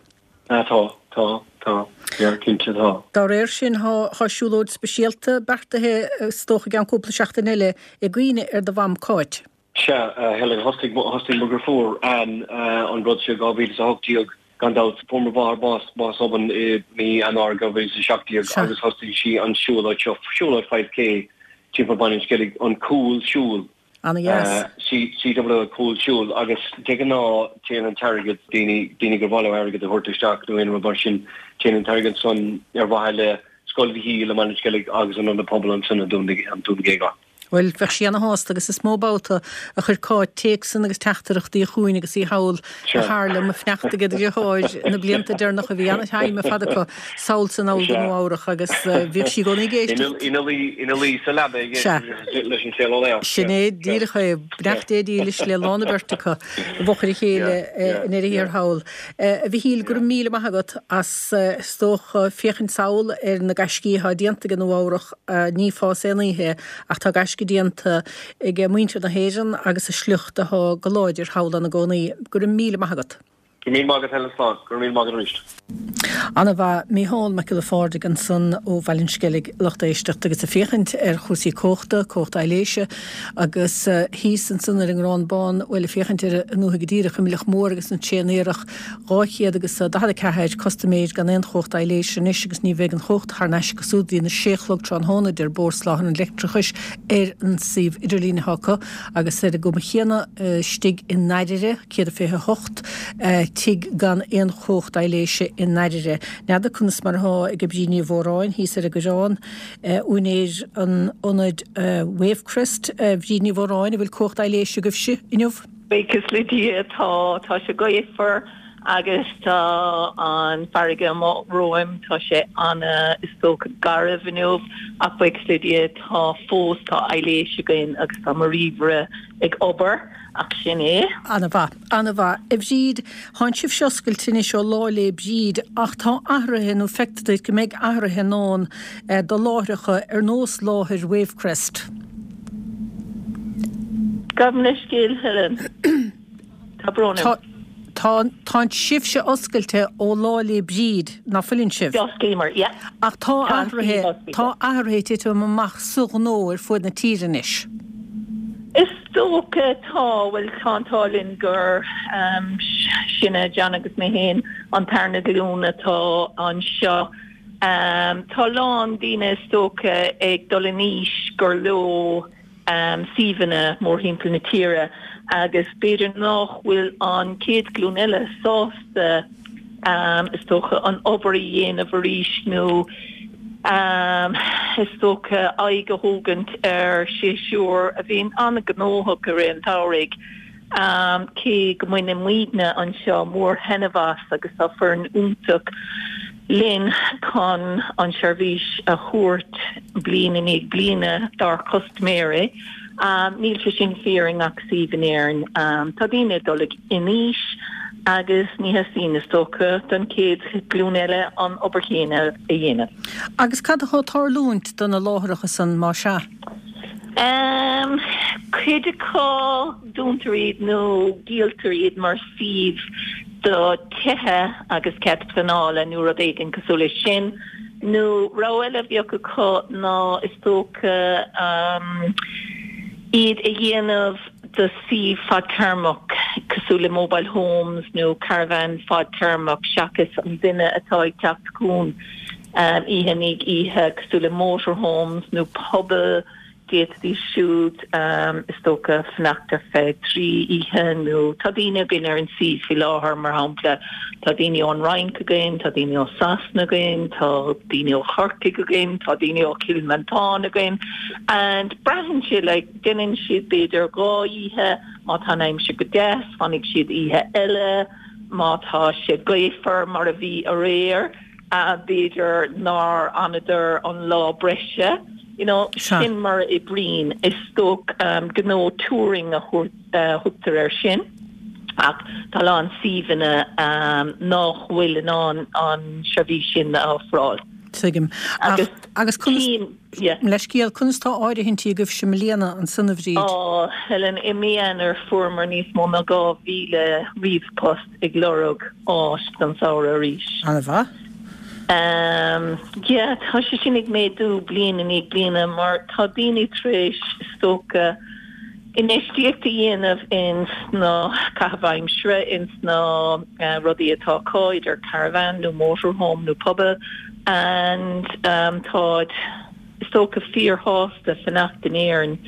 Ah tá, tá, tá, yeah, cinnte tá. Dá réir sin, tá siúlóid speisialta beartaithe is dócha i gceann cúpla seachtain eile i gcuimhne ar do mham Cáit. Sea, a Helen, thosaigh, thosaigh mo dheirfiúr Ann an rud seo i 2018, gan dabht. Fuair mo mháthair bás, bás obann i mí Eanáir 2017 agus thosaigh sí an siúlóid seo, siúlóid 5K timpeall Bhaile an Sceilg, an Cúl Siúil. Ana-dheas. CW Cúl Siúil agus de ghnáth téann an t-airgead, daoine, daoine gur mhaith leo airgead a thabhairt isteach nó aon rud mar sin, téann an t-airgead san ar mhaithe le Scoil Mhichíl i mBaile an Sceilg agus an Ionad Pobail ansan i Dún Géagáin. Bhuel, bheadh sí ana-shásta agus is mó babhta a chuir Cáit téacsanna agus teachtaireachtaí chugainn agus í thall a thar liom ag fanacht ag a deartháir na blianta deireanacha. Bhí ana-time ar fad acu sall 's anall go Nua Eabhrach agus bhíodh sí i gcónaí ag éisteacht. Ina luí sa leaba ag éisteacht leis an Saol Ó Léan. Sin é díreach é. Beannacht Dé dílis le lán an bheirt acu i bhfochair a chéile i ndeireadh thiar thall. A Mhichíl, go raibh míle maith agat as, is dócha, féachaint sall ar na gaiscí atá déanta ag Nua Eabhrach. Ní fás aon oíche é ach tá gaisce déanta ag muintir na hÉireann agus a sliocht atá go láidir thall ina gcónaí. Go raibh míle maith agat. Go raibh míle maith agat Helen Slán. Go raibh míle maith agat arís. Ana-mhaith. Mícheál Mac Giolla Phádraig ansan ó Bhaile an Sceilg, lucht éisteachta agus ag féachaint ar chúrsaí cumhachta, cumhacht aibhléise agus thíos ansan ar an nGrán Bán, bhuel ag féachaint ar an ndúthaigh go díreach, i Muileach Mór agus an tSéan Iarthach, 244 custaiméir gan aon chumhacht aibhléise anois agus ní bheidh an chumhacht thar n-ais acu siúd go dtí na sé a chlog tráthnóna, a deir Bord Soláthair an Leictreachais ar an suíomh idirlín atá acu agus ar an gcuma chéanna istigh i nDairire, 128 tigh gan aon chumhacht aibhléise i nDairire. N'fheadar conas mar atá ag Bríd Ní Mhóráin thíos ar an gCoireán, úinéir an ionaid Wavecrest. Bríd Ní Mhóráin, an bhfuil cumhacht aibhléise agaibhse inniu? Buíochas le Dia tá, tá sé gaofar agus tá an farraige amuigh romhaim, tá sé ana, is dócha, garbh inniu ach buíochas le Dia tá fós, tá aibhléis againn agus tá mo ríomhaire ag obair ach sin é. Ana-mhaith, ana-mhaith. A Bhríd, thánn sibhse oscailte anois ó Lá 'lé Bríd ach tá athruithe nó feictear duit go mbeidh athruithe i ndán do láithreacha ar nós láthair Wavecrest. Gabh mo leithscéal, Helen. Tá brón orm. Tá, tánn sibhse oscailte ó Lá 'lé Bríd, ná fuileann sibh? D'osclaíomar, yeah. Ach tá athruithe, tá athruithe ag titim amach sa ghnó ar fuaid na tíre anois. Is dócha, tá, bhuel, tá an t-ádh linn gur sinne, John agus mé féin, an tarna glúin atá anseo. Tá a lán daoine is dócha ag dul in aois gur leo suíomhanna mórthimpeall na tíre agus b'fhéidir nách bhfuil an chéad ghlúin eile sásta is dócha an obair a dhéanamh arís nó is dócha aghaidh a thógaint ar séasúr a bhíonn an-ghnóthach i rith an tsamhraidh. Cé go mbaineann muidne anseo mór-thaitneamh as agus tá foireann iontach linn chun an tseirbhís a thabhairt bliain i ndiaidh bliana dár chustaiméirí, níl sé sin fíor i ngach suíomh in Éirinn. Tá daoine ag dul in aois agus ní theastaíonn, is dócha, don chéad ghlúin eile an obair chéanna a dhéanamh. Agus cad atá ag tarlúint do na láithreacha san, má sea? Cuid acu, dúntar iad nó díoltar iad mar suíomh do tithe agus cead pleanála nó rud éigin cosúil leis sin. Nó rogha eile a bheadh acu ná is dócha iad a dhéanamh do suíomh fadtéarmach cosúil le mobile homes nó caravan fadtéarmach seachas an duine atá ag teacht chugainn oíche i ndiaidh oíche, cosúil le motorhomes nó pubaill, d'fhéadfaidís siúd, is dócha, fanacht ar feadh 3 oíche nó tá daoine againn ar an suíomh faoi láthair, mar shampla, tá daoine ón Fhrainc againn, tá daoine ó Sasana againn, tá daoine ó Chorcaigh againn, tá daoine ó Chill Mhantáin againn and braitheann sé like déanann siad b'fhéidir 2 oíche, má tá an aimsir go deas, fanfaidh siad oíche eile, má tá sé gaofar mar a bhí aréir. B'fhéidir nár fhanadar an lá breise, you know, sin mar a oibríonn. Is dócha gnó touring a thugtar air sin ach tá a lán suíomhanna nách bhfuil in ann an seirbhís sin a ofráil. Tuigim. Agus conas. Yeah. Leithscéal, conas tá áirithintí agaibhse i mbliana ansan, a Bhríd? Á, Helen, i mí Eanáir fuaireamar níos mó ná 2,000 ríomhphost ag lorg áit don samhradh arís. An-mhaith. Ehm, yeah, tá sé sin ag méadú bliain i ndiaidh bliana mar tá daoine tar éis, is dócha, infheistíocht a dhéanamh ins na caitheamh aimsire, ins na rudaí atá acu, idir caravan nó motorhome nó puball and táid is dócha fíorshásta fanacht in Éirinn.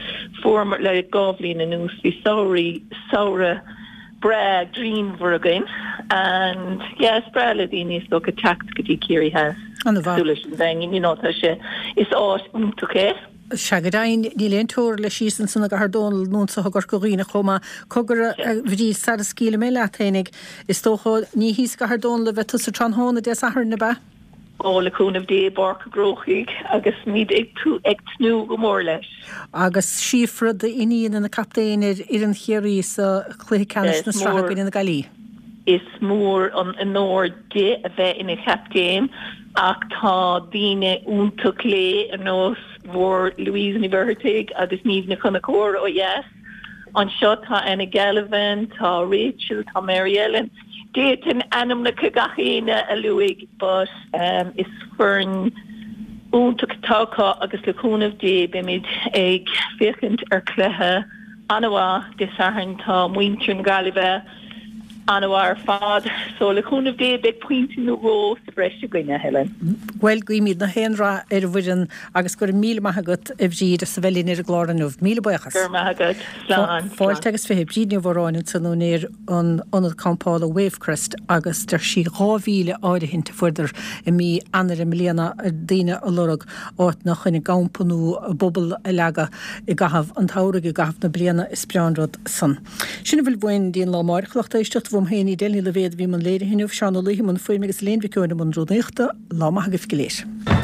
Fuaireamar, le 2 bhliain anuas, bhí samhraí, samhradh breá grianmhar againn and yeah is breá le daoine is dócha teacht go dtí Ciarraí Theas cosúil leis an Daingean, you know tá sé, is áit iontach é. Sea, go deimhin, níl aon teora leis thíos ansan i gCathair Dónall nó anso i gCorca Dhuibhne chomh maith. Cogar, a Bhríd, sara scaoilfidh mé leat fhéinig, is dócha, ní thíos i gCathair Dónall a bheidh tusa tráthnóna Dé Sathairn, ab ea? Ó, le cúnamh Dé, i bPáirc an Chrócaigh agus muid ag tnúth go mór leis. Agus Síofra, d'iníon, ina captaen ar fhoireann Chiarraí sa chluiche ceannais na sraithe i gcoinne na Gaillimhe. Is mór an onóir di a bheith ina chaptaen ach tá daoine iontach léi ar nós bhur Louise Ní Mhuircheartaigh agus Niamh Nic Conchúir ó dheas. Anseo tá Anna Gallivan, tá Rachel, tá Mary Ellen. D'fhéadfainn ainmneacha gach éinne a luaigh but is foireann iontach atá acu agus le cúnamh Dé beimid ag féachaint ar chluiche an-mhaith Dé Sathairn. Tá muintir na Gaillimhe An-mhaith ar fad. So, le cúnamh Dé, beidh pointe nó dhó sa bhreis againn, a Helen. Bhuel, guímid na haon rath ar an bhfoireann agus go raibh míle maith agat, a Bhríd, as a bheith linn ar an gclár inniu. Míle buíochas. Go raibh maith agat. Slán. Fáilte agus 20. Bríd Ní Mhóráin ansan, úinéir an ionad campála Wavecrest agus deir sí 2,000 áirithint a fuaireadar i mí Eanáir i mbliana ar daoine a lorg áit fá choinne gcampa nó a bpuball a leagadh i gcaitheamh an tsamhraidh, i gcaitheamh na bliana. Is breá an rud san. Sin a bhfuil uainn go dtí an lá amáireach, a lucht éisteachta. Uaim féin, Edel Ní Loibhéad, a bhí i mbun léirithe inniu, Seán Ó Laoithe i mbun fuaime agus Elaine Mhic Eoin i mbun rúnaíochta. Lá maith agaibh go léir.